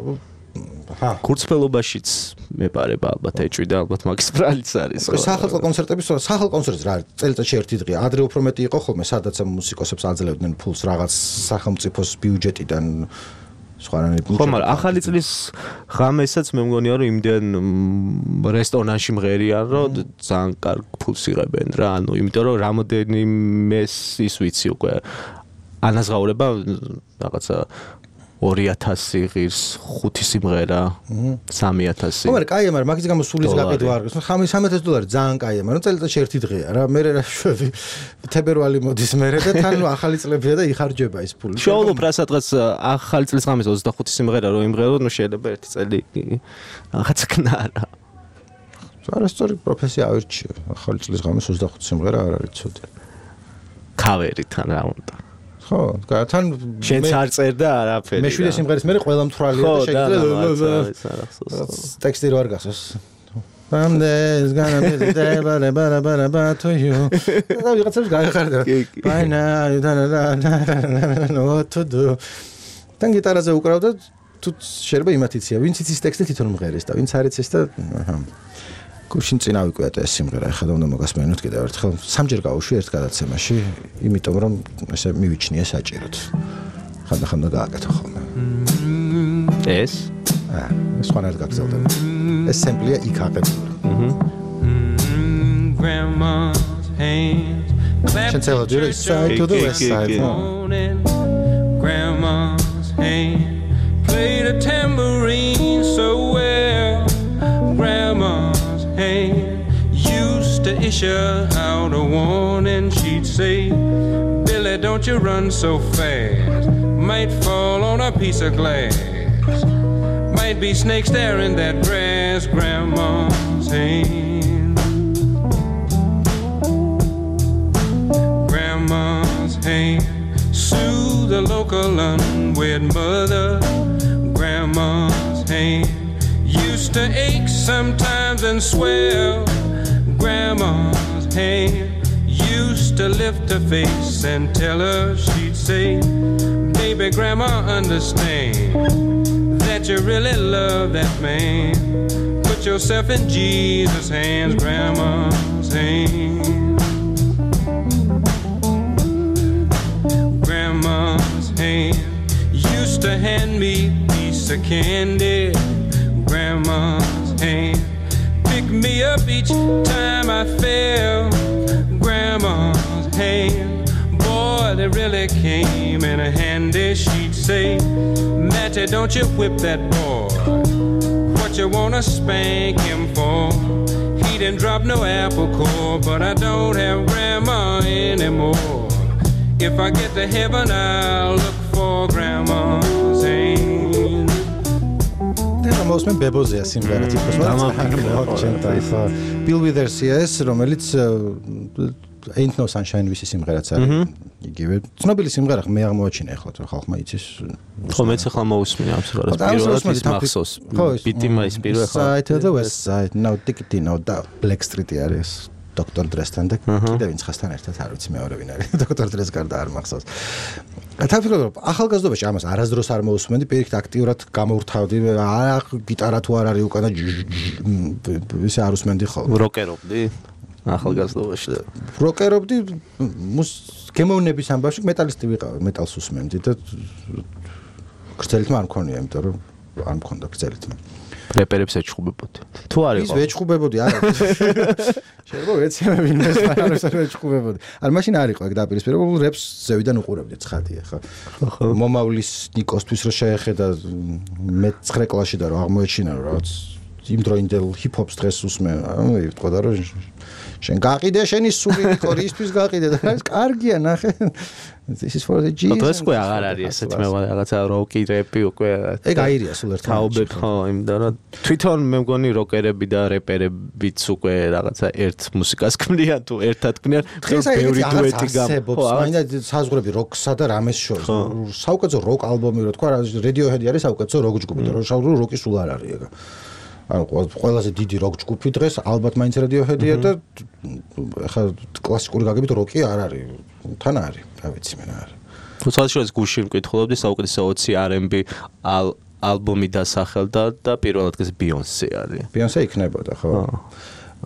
გულწრფელობაშიც მეპარება ალბათ ეჭვი და ალბათ მაგის ბრალიც არის. სახალხო კონცერტების სახალხო კონცერტს რა წელიწადში ერთი დღეა. ადრე უფრო მეტი იყო ხოლმე, სადაც მუსიკოსებს აძლევდნენ ფულს რაღაც სახელმწიფოს ბიუჯეტიდან სხვანაირად. ხო, მაგრამ ახალი წლის ღამესაც მე მგონია რომ იმდენ რესტორანში მღერიან რომ ძალიან კარგ ფულს იღებენ რა. ანუ იმიტომ რომ რამოდენიმეს ის ვიცი უკვე ანაზღაურება რაღაცა 2000 ღირს 5 სიმღერა 3000. ხო, მაგრამ კაია, მაგრამ მაგის გამო სულის გაყიდვა არ გქონს. $3000 ძალიან კაია, მაგრამ წელიწადში ერთი დღეა რა. მე რა შვები თებერვალი მოდის მერე და თან ახალი წლებია და იხარჯება ის ფული. შოულობ რა სადღაც ახალი წლის ღამეს 25 სიმღერა რო იმღერო, ნუ შეიძლება ერთი წელი რაღაცა კნარა. არასწორი პროფესია ავირჩიე. ახალი წლის ღამეს 25 სიმღერა არ არის ცოტა. ქავერიდან რა უნდა. ხო, თან შენც არ წერდა არაფერი. მე 7 სიმღერის მერე ყველა მთვრალია და შეიძლება ტექსტი რო არ გახსოვს. Someday it's gonna be the day, but to you. და ვიღაცებს გაიხარდა. By now you don't know what to do. თან გიტარაზე უკრავდა თუ შეიძლება იმათ იცია, ვინც იცის ტექსტი თვითონ მღერის და ვინც არ იცის და გუშინ წინ ავიკვიატა ეს სიმღერა, ახლა უნდა მოგასმენოთ კიდევ ერთხელ. სამჯერ გავუშვი ერთ გადაცემაში, იმიტომ რომ ესე მივიჩნია საჭიროდ. ხანდახან და გააკეთო ხოლმე. ეს? სხვანაირად გაგზავნება. ეს სემპლია იქ აღებული. Grandma's hands Can tell her, do the side to the west side. Grandma's hand played a tambourine so well. Grandma's hand used to issue out a warning. She'd say, Billy, don't you run so fast. Might fall on a piece of glass. Might be snakes there in that grass. Grandma's hand. Grandma's hand soothe the local unwed mother. Grandma's hand used to ache sometimes and swell. Grandma's hand used to lift her face and tell her, she'd say, baby, Grandma, understand that you really love that man. Put yourself in Jesus' hands. Grandma's hand. Grandma's hand used to hand me a piece of candy. Grandma's hand pick me up each time I fell. Grandma's hand, boy, they really came in handy. She'd say, Matty, don't you whip that boy. What you wanna spank him for? He didn't drop no apple core, but I don't have Grandma anymore. If I get to heaven, I'll look for Grandma's hand. და მოსმენ ბებოზეა სიმღერა თვითონ და Bill Withers-ის რომელიც Ain't No Sunshine ვისი სიმღერაც არის იგივე ცნობილი სიმღერა მე აღმოაჩინე ახლა თუ ხალხმა იცის ხო მეც ახლა მოусმინე ამ სიმღერას პირველად ის მახსოვს ბიტი მაის პირველ ხა Side to the West Side no ticket no და Black Street-ი არის Dr. Dre-თან და კიდევ ვინც ხასთან ერთად არ ვიცი მეორე ვინ არის Dr. Dre-ს გარდა არ მახსოვს თავისუფლად ახალგაზრდობაში ამას არასდროს არ მოусმენდი პირიქით აქტიურად გამოვრთავდი გიტარა თუ არ არის უკან და ისე არ უსმენდი ხოლმე როკერობდი ახალგაზრდობაში როკერობდი გემოვნების ამბავში მეტალისტი ვიყავი მეტალს უსმენდი და გრძელით არ მქონია იმიტომ რომ არ მქონდა გრძელით რეპერებს ეჩხუბებოდი თუ არ იყო ის ეჩხუბებოდი არა შეიძლება ვეცემე ვინმეს არ ეჩხუბებოდი არ მაშინ არ იყო ეგ დაპირისპირება რეპს ზევიდან უყურებდი ცხადია ხა მომავლის ნიკოსთვის რო შეეხედა მე 9 კლასში და რო აღმოეჩინა რომ რაღაც იმ დროინდელ ჰიპ-ჰოპს დღეს უსმე თქვა და რომ შენ გაყიდე შენი სული ნიკო რისთვის გაყიდე და ეს კარგია ნახე This is for the Jesus. ეს უკვე აღარ არის ესეც მე რაღაცა როკი რეპი უკვე ეგ აირია სულ ერთად. თაობებ ხო იმიტომ რომ თვითონ მე მგონი როკერები და რეპერებიც უკვე რაღაცა ერთ მუსიკას ქმნიან თუ ერთად ქმნიან დღეს ბევრი დუეტი გამო. მაინდა საზღვრები როკსა და რამეს შორის. საუკეთესო როკ ალბომი რო თქვა Radiohead არის საუკეთესო როკ ჯგუფი და როკი სულ არ არის ეგ. ანუ ყველაზე დიდი როკ ჯგუფი დღეს ალბათ მაინც Radiohead-ია და ახლა კლასიკური გაგებით როკი არ არის. თან არის, რა ვიცი მე რა არის. თუმცა გუშინ მკითხულობდი საუკეთესო 20 R&B ალბომი დასახელდა და პირველ ადგილზე Beyoncé არის. Beyoncé იქნებოდა, ხო?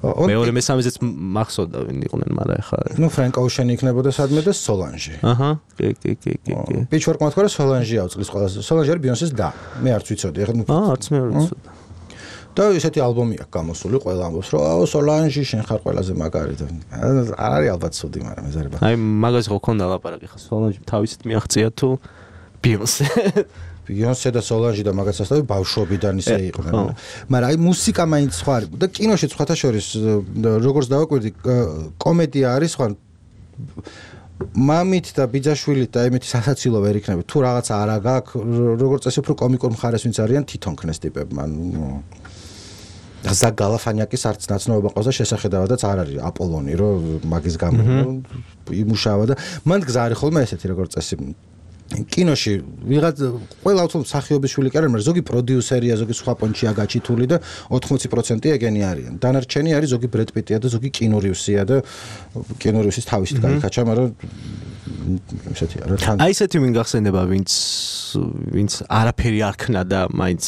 მეორე მესამეზეც მახსოვდა ვინ იყვნენ, მაგრამ ახლა ნუ Frank Ocean იქნებოდა სადმე და Solange. აჰა, კი. Pitchfork-მა თქვა რომ Solange აუწყლის ყველაზე. Solange არის Beyoncé-ს და მე არც ვიცოდი, ახლა არც მე არ ვიცოდი. და ესეთი ალბომი აქვს გამოსული, ყველა ამბობს რომ Solange შენ ხარ ყველაზე მაგარი და არ არის ალბათ ცუდი, მაგრამ ეზარება. აი მაგას ხო ქონდა ლაპარაკი ხა Solange თავისით მიაღწია თუ Beyoncé. Beyoncé და Solange და მაგას ასწავი ბავშვობიდან ისე იყვნენ. მაგრამ აი მუსიკა მაინც სხვა არის და კინოში სხვათა შორის როგორც დავაკვირდი კომედია არის სხვა მამით და ბიძაშვილით და ემეთი სასაცილო ვერ იქნება თუ რაღაცა არა გაქვს როგორც წესი უფრო კომიკურ მხარეს ვინც არიან თვითონ ქნეს ტიპები მან ზაკ გალაფანიაკის არც ნაცნობობა ყავს და შესახედავადაც არ არის აპოლონი, რომ მაგის გამო იმუშავა და მან გზა არის ხოლმე ესეთი როგორც წესი კინოში ვიღაც ყველა უცებ მსახიობის შვილი კი არ არის, მაგრამ ზოგი პროდიუსერია, ზოგი სხვა პონჩია გაჩითული და 80% ეგენი არიან. დანარჩენი არის ზოგი ბრედ პიტია და ზოგი კინორივსია და კინორივსის თავისით გაიქაჩა, მაგრამ ესეთი არა თან. აი ესეთი ვინ გახსენდება, ვინც არაფერი არ ქნა და მაინც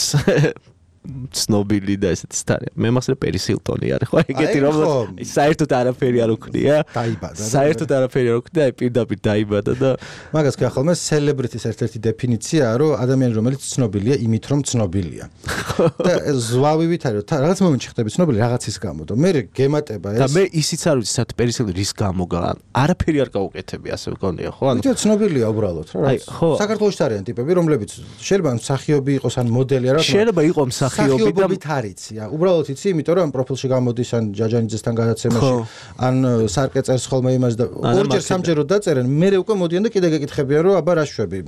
ცნობილი და ესეთი სტარია. მე მახსოვს პერის ჰილტონი არის, ხო? ეგეთი რომ საერთოდ არაფერი არ უქნია. დაიბადა. საერთოდ არაფერი არ უქნია, პირდაპირ დაიბადა და მაგას კი ახალმე სელებრიტის ერთ-ერთი დეფინიციაა, რომ ადამიანი რომელიც ცნობილია იმით, რომ ცნობილია. და ზვავივით არის, რაღაც მომენტში ხდები ცნობილი რაღაცის გამო და მე გემატება ეს. და მე ისიც არ ვიცი, საერთოდ პერის ჰილტონი რის გამო არაფერი არ გაუკეთებია, ასე მგონია, ხო? ანუ ცნობილია უბრალოდ რა. საქართველოში არიან ტიპები, რომლებიც შეიძლება მსახიობი იყოს ან მოდელი არა. შეიძლება იყოს მსახიობობით არიცია. უბრალოდ იცი, იმიტომ რომ პროფილში გამოდის ან ჯაჯანიძესთან გადაცემაში, ან სარკე წერს ხოლმე იმას და ორჯერ სამჯეროდ დაწერენ, მერე უკვე მოდიან და კიდე გეკითხებიან, რომ აბა რა შვები.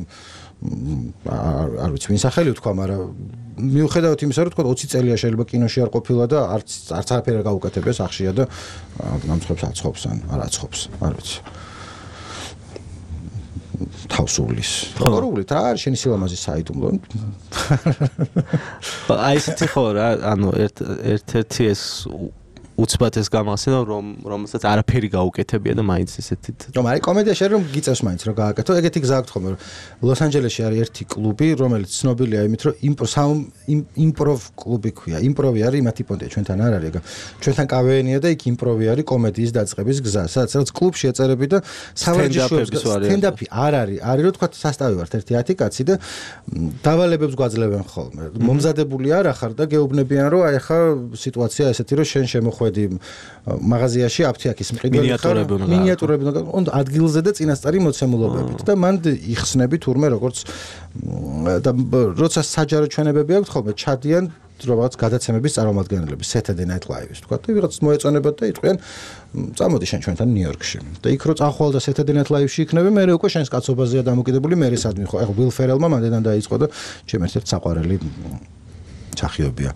არ ვიცი, ვინ სახელი ვთქვა, მაგრამ მიუხედავად იმისა, რომ თქვა 20 წელია შეიძლება კინოში არ ყოფილა და არც არაფერი არ გაუკეთებია სახშია და გამცხობს აცხობს ან არ აცხობს, არ ვიცი. თავსულის. როგორ რა არის შენი სილამაზის საიდუმლო? აი ესეთი ხო რა, ანუ ერთ-ერთი ეს უცბად ეს გამახსენდა რომელსაც არაფერი გაუკეთებია და მაინც ესეთი რომ არის კომედია შეიძლება რომ გიწევს მაინც რომ გააკეთო ეგეთი გზა აქვს ხოლმე რომ ლოს-ანჯელესში არის ერთი კლუბი რომელიც ცნობილია იმით რომ იმპროვ კლუბი ქვია იმპროვი არის იმათი პონტია ჩვენთან არ არის ეგ ჩვენთან კავეენია და იქ იმპროვი არის კომედიის დაწყების გზა სადაც კლუბში ეწერები და სავარჯიშოებს სტენდაპი არ არის რომ თქვა სასტავი ვართ ერთი 10 კაცი და დავალებებს გვაძლევენ ხოლმე მომზადებული არ ახარ და გეუბნებიან რომ აი ხა სიტუაცია ესეთი რომ შენ შემოხვედი მაღაზიაში აფთიაქის მყიდველი მინიატურები უნდა ადგილზე და წინასწარი მოცემულობებით და მან იხსნები თურმე როგორც და როცა საჯარო ჩვენებები აქვს ხოლმე ჩადიან რაღაც გადაცემების წარმომადგენლები Saturday Night Live-ის თქვა და ვიღაც მოეწონებათ და იტყვიან წამოდი შენ ჩვენთან ნიუ-იორკში და იქ რო წახვალ და Saturday Night Live-ში იქნები მე უკვე შენს კაცობაზეა დამოკიდებული მე სადმი ხო ეხლა Will Ferrell-მა მანდიდან დაიწყო და ჩემ ერთ-ერთ საყვარელი სახიობია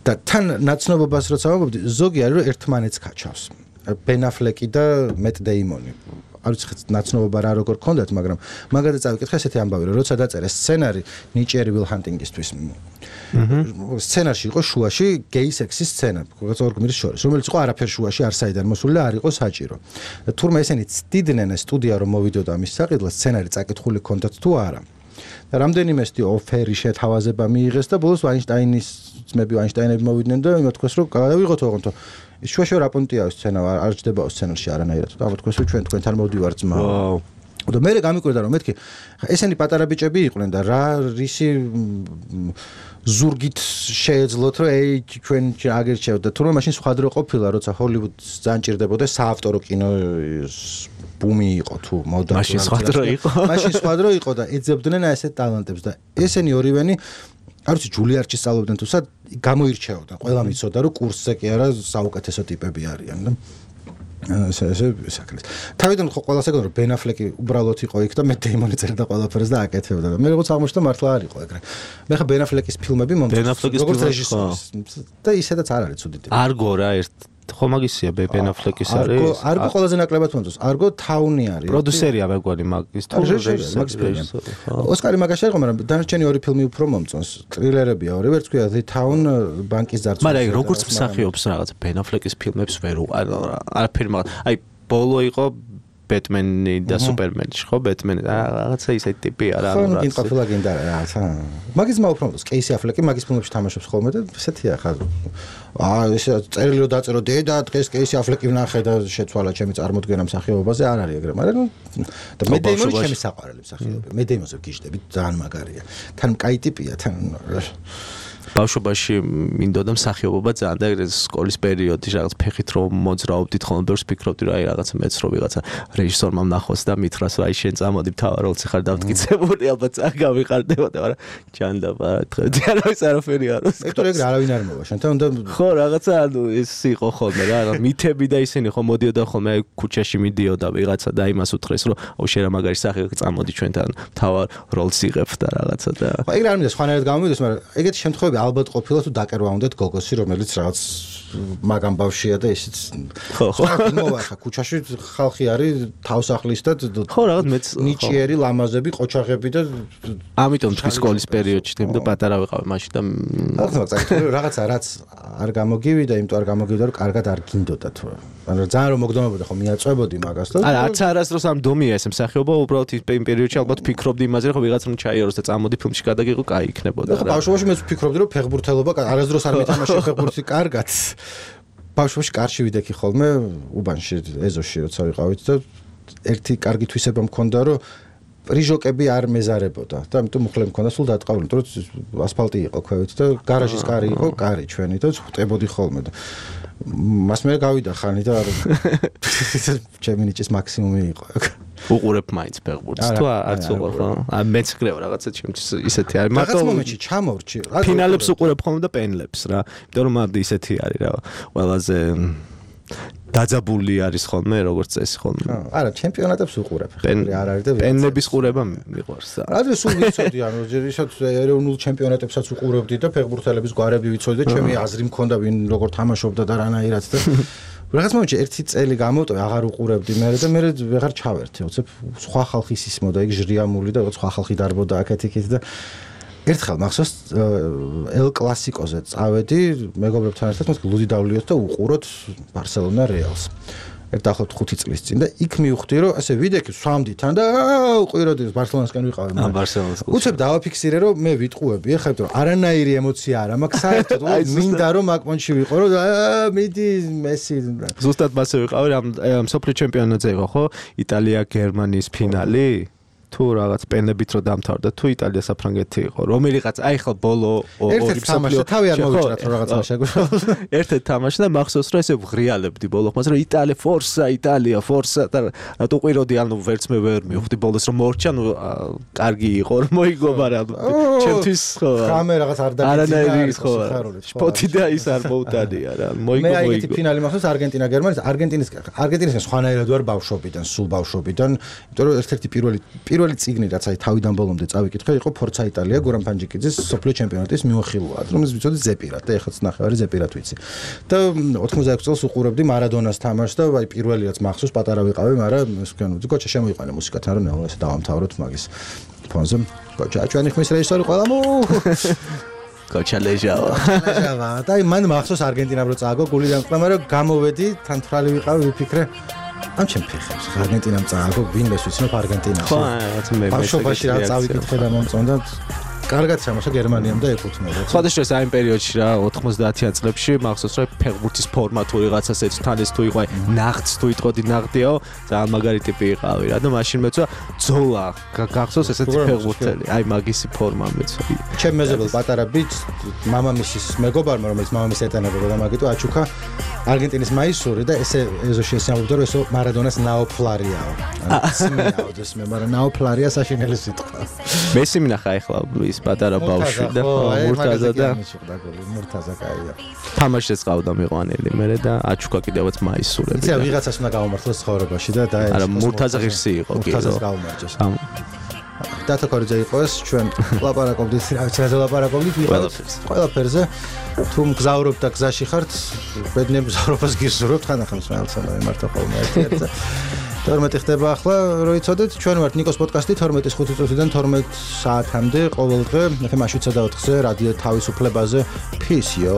და თან ნაცნობობას როცა ვამბობდი ზოგი არის რომ ერთმანეთს კაჩავს Ben Affleck და Matt Damon არ ვიცი ნაცნობობა რა როგორ ქონდათ მაგრამ მაგალითად წავიკითხე ესეთი ამბავი რომ როცა დაწერე სცენარი ნიჭიერი Will Hunting-ისთვის სცენარში იყო შუაში gay sex-ის სცენა როგორც ორ გმირის შორის რომელიც იყო არაფერ შუაში არ საიდან მოსული და არ იყო საჭირო და თურმე ესენი ცდიდნენ სტუდია რომ მოვიდოდა ამის საყიდლად სცენარი წაკითხული ქონდათ თუ არა და რამდენიმე ოფერი შეთავაზება მიიღეს და ბოლოს ვაინშტაინის ძმები ვაინშტაინები მოვიდნენ და იმათქვეს რომ გადავიღოთ ოღონდ ის შუაში რა პონტია სცენა არ ჯდება სცენარში არანაირად და ამათქვეს რომ ჩვენ თქვენთან მოვდივართ ძმა და მე გამიკვირდა რომ მეთქი ესენი პატარა ბიჭები იყვნენ და რა რისი ზურგით შეეძლოთ რომ ეი ჩვენ აგერჩევთ და თურმე მაშინ სხვა დრო ყოფილა როცა ჰოლივუდს ძალიან ჭირდებოდა საავტორო კინოს ბუმი იყო თუ მოდა მაშინ სხვა დრო იყო და ეძებდნენ ესეთ ტალანტებს და ესენი ორივენი არ ვიცი ჯულიარჩი სწავლობდნენ თუ სად გამოირჩეოდა ყველა მიცოდა რომ კურსზე კი არა საუკეთესო ტიპები არიან და ესე საკრეთ. თავიდან ხო ყველას ეგონა რომ Ben Affleck უბრალოდ იყო იქ და Matt Damon წერდა ყველაფერს და აკეთებდა და მე როგორც აღმოჩნდა მართლა არ იყო ეგრე. მე ხა Ben Affleck-ის ფილმები მომწონს როგორც რეჟისორი და ისედაც არ არის ცუდი ტიპი. არგო რა ერთ ხო მაგისია Ben Affleck-ის არის. არგო ყველაზე ნაკლებად მომწონს. არგო თაუნი არის. პროდიუსერია მეგონი მაგის თუ რეჟისორი. ოსკარი მაგაში იყო, მაგრამ დანარჩენი ორი ფილმი უფრო მომწონს. ტრილერებია ორი, ვერც ქვია The Town ბანკის ძარცვა. მაგრამ აი როგორც მსახიობს რაღაც Ben Affleck-ის ფილმებს ვერ არაფერი მაგ აი ბოლო იყო ბეტმენი და სუპერმენი ხო ბეტმენი რაღაცა ისეთი ტიპია რა ხო გინდა ყოფილა გინდა რაღაცა მაგის უფრო მომწონს კეისი აფლეკი მაგის ფილმებში თამაშობს ხოლმე და ესეთია ხა ეს წერილი რომ დაწერო დედა დღეს კეისი აფლეკი ვნახე და შეცვალა ჩემი წარმოდგენა მსახიობაზე არ არის ეგრე მაგრამ და მე დეიმონი ჩემი საყვარელი მსახიობია მე დეიმონზე გიждები ძალიან მაგარია თან კაი ტიპია თან ბავშვობაში მინდოდა მსახიობობა ძალიან და ეგრე სკოლის პერიოდში რაღაც ფეხით რომ მოძრაობდით ხოლმე ბევრს ფიქრობდი რა აი რაღაცა მეც რო ვიღაცა რეჟისორმა ნახოს და მითხრას რა აი შენ წამოდი მთავარ როლს ხარ დამტკიცებული ალბათ წაგავიყარდებოდა მაგრამ ჯანდაბა თხეთი არავის არაფერი არ არის ექტორ ეგრე არავინ არ მოვა შენთან უნდა ხო რაღაცა ანუ ეს იყო ხოლმე რა მითები და ისინი ხო მოდიოდა ხოლმე აი ქუჩაში მიდიოდა ვიღაცა და იმას უთხრეს რომ აუ შენ რა მაგარი სახე წამოდი ჩვენთან მთავარ როლს იღებ და რაღაცა და ხო ეგრე არ მინდა სხვანაირად გამომიდეს მაგრამ ეგეთი შემთხვევები ალბათ ყოფილა თუ დაკერვა უნდათ გოგოსი, რომელიც რაღაც მაგამ ბავშვია და ისიც ხო მოვახა ქუჩაში ხალხი არის თავსახლის და ხო რაღაც მეც ნიჭიერი ლამაზები ყოჩაღები და ამიტომ თქვი სკოლის პერიოდში თემ და პატარა ვიყავი მაშინ და რაღაცა რაც არ გამოგივიდა, იმიტომ არ გამოგივიდა რომ კარგად არ გინდოდა თუ ანუ ძალიან რომ მოგდომებოდა ხო მიაწვებოდი მაგას და არც არასდროს ამ დომია ეს მსახიობა უბრალოდ იმ პერიოდში ალბათ ფიქრობდი იმაზე რომ ვიღაც რომ ჩაიაროს და წამოდი ფილმში გადაგიღო კაი იქნებოდა რა ბავშვობაში მეც ვფიქრობდი რომ ფეხბურთელობა არასდროს არ მეთამაშე ფეხბურთი კარგად ბავშვობაში კარში ვიდექი ხოლმე უბანში ეზოში როცა ვიყავით და ერთი კარგი თვისება მქონდა რომ პრიჟოკები არ მეზარებოდა და ამიტომ მუხლე მქონდა სულ დატყავილი იმიტომ რომ ასფალტი იყო ქვევით და გარაჟის კარი იყო კარი ჩვენი და ვხვდებოდი ხოლმე და მას მე გავიდა ხანი და ჩემი ნიჭის მაქსიმუმი იყო უყურებ მაინც ფეხბურთს თუ არც უყურებ ხო მეც ხდება რაღაცა ჩემთვის ისეთი არის მაგას მომენტში ჩამორჩი ფინალებს უყურებ ხოლმე და პენლებს რა იმიტომ რომ ამ ისეთი არის რა ყველაზე დაძაბული არის ხოლმე როგორც წესი ხოლმე არა ჩემპიონატებს უყურებ არ არის და პენლების ყურება მიყვარს რა სულ ვიცოდი ანუ ისეთ ეროვნულ ჩემპიონატებსაც უყურებდი და ფეხბურთელების გვარები ვიცოდი და ჩემი აზრი მქონდა ვინ როგორ თამაშობდა და რანაირად და რაღაც მომენტში ერთი წელი გამოვტოვე აღარ უყურებდი მე და მე ვეღარ ჩავერთე უცებ სხვა ხალხის ისმოდა იქ ჟრიამული და რაღაც სხვა ხალხი დარბოდა აქეთ-იქით და ერთხელ მახსოვს ელ კლასიკოზე წავედი მეგობრებთან ერთად მას ლუდი დავლიოთ და უყუროთ ბარსელონა რეალს ერთ ახლობთ 5 წლის წინ და იქ მივხვდი რომ ასე ვიდექი სვამდიდან და უყიროდი ბარსელონასკენ ვიყავი მე ბარსელონას უცებ დავაფიქსირე რომ მე ვიტყუები ახლა იმიტომ რომ არანაირი ემოცია არ მაქვს საერთოდ მინდა რომ აქ პონჩი ვიყო რომ მიდი მესი ზუსტად მასე ვიყავი ამ სოფლიო ჩემპიონატზე იყო ხო იტალია გერმანიის ფინალი თუ რაღაც პენლებით რო დამთავრდა თუ იტალია საფრანგეთი იყო რომელიღაც აი ხალ ბოლო ორი თამაში თავი არ მოვიჭრათ რომ რაღაც მაშაგო ერთ-ერთ თამაში და მახსოვს რომ ესე ვღრიალებდი ბოლო ხმას რომ იტალია ფორსა და რატო ყვიროდი ანუ ვერც მე ვერ მივხვდი ბოლოს რომ მორჩა ნუ კარგი იყო რომ მოიგობა რა ჩემთვის ხო ხამე რაღაც არ დაგიძინა ხო სპოტი და ის არ მოუტანია რა მოიგო მე აი ეს ფინალი მახსოვს არგენტინა გერმანიის არგენტინის სხვანაირად ვარ ბავშვობიდან სულ ბავშვობიდან იმიტომ რომ ერთ-ერთი პირველი წიგნი რაც აი თავიდან ბოლომდე წავიკითხე იყო ფორცა იტალია გურამ ფანჯიკიძის სოფლიო ჩემპიონატის მიმოხილვა რომელიც ვიცოდი ზეპირად და ეხლაც ნახევარი ზეპირად ვიცი და 96 წელს უყურებდი მარადონას თამაშს და აი პირველი რაც მახსოვს პატარა ვიყავი მაგრამ ეს ვქონოდი გოჩა შემოიყვანე მუსიკათან რომ ნელა ესე დავამთავროთ მაგის ფონზე გოჩა ჩვენი ხმის რეჟისორი ყველა გოჩა ლეჟავა და მან მახსოვს არგენტინამ რო წააგო გული დამყრა მაგრამ გამოვედი თან თრალი ვიყავი ვიფიქრე ამ ჩემ ფეხებს არგენტინამ წააგო ვინმეს ვიცნობ არგენტინას ხო რაც მე ბავშვობაში რა წავიკითხე და მომწონდა კარგად ჩამოშა გერმანიამ და ეკუთვნოდა სხვადასხვა ამ პერიოდში რა 90-იან წლებში მახსოვს რომ ფეხბურთის ფორმა თუ რაღაცას ეც თან ეს თუ იყო ნახტს თუ იტყოდი ნახტიაო ძალიან მაგარი ტიპი იყავი რა და მაშინ მეცვა ძოლა გახსოვს ესეთი ფეხბურთელი აი მაგისი ფორმა მეცვა ჩემ მეზობელ პატარა ბიჭს მამამისის მეგობარმა რომელიც მამამის ეტანებოდა და მაგიტო აჩუქა არგენტინის მაისური და ესე ეზოში ესამბობდა რომ ესო მარადონას ნაოფლარიაო სიმეაო ეს მე მაგრამ ნაოფლარია საშინელი სიტყვა მესი მინახა ახლა ის პატარა ბავშვი და მურტაზა და მურტაზა კაია თამაშს ყავდა მიყვანილი მე და აჩუქა კიდევაც მაისურები იცი ვიღაცას უნდა გავამართლოს ცხოვრებაში და არა მურტაზა ღირსი იყო კი მურტაზას გავამარჯოს დატა კორიძე იყო ეს ჩვენ ლაპარაკობდით რა ვიცი რა ლაპარაკობდით ყველაფერზე თუ მგზავრობ და გზაში ხართ ბედნიერ მგზავრობას გისურვებთ ხანახან სმეალსა და მარტო ხოლმე ერთ-ერთი 12 ხდება ახლა რო იცოდეთ ჩვენ ვართ ნიკოს პოდკასტი 12:05 წუთიდან 12 საათამდე ყოველდღე FM 7:4-ზე რადიო თავისუფლებაზე peace yo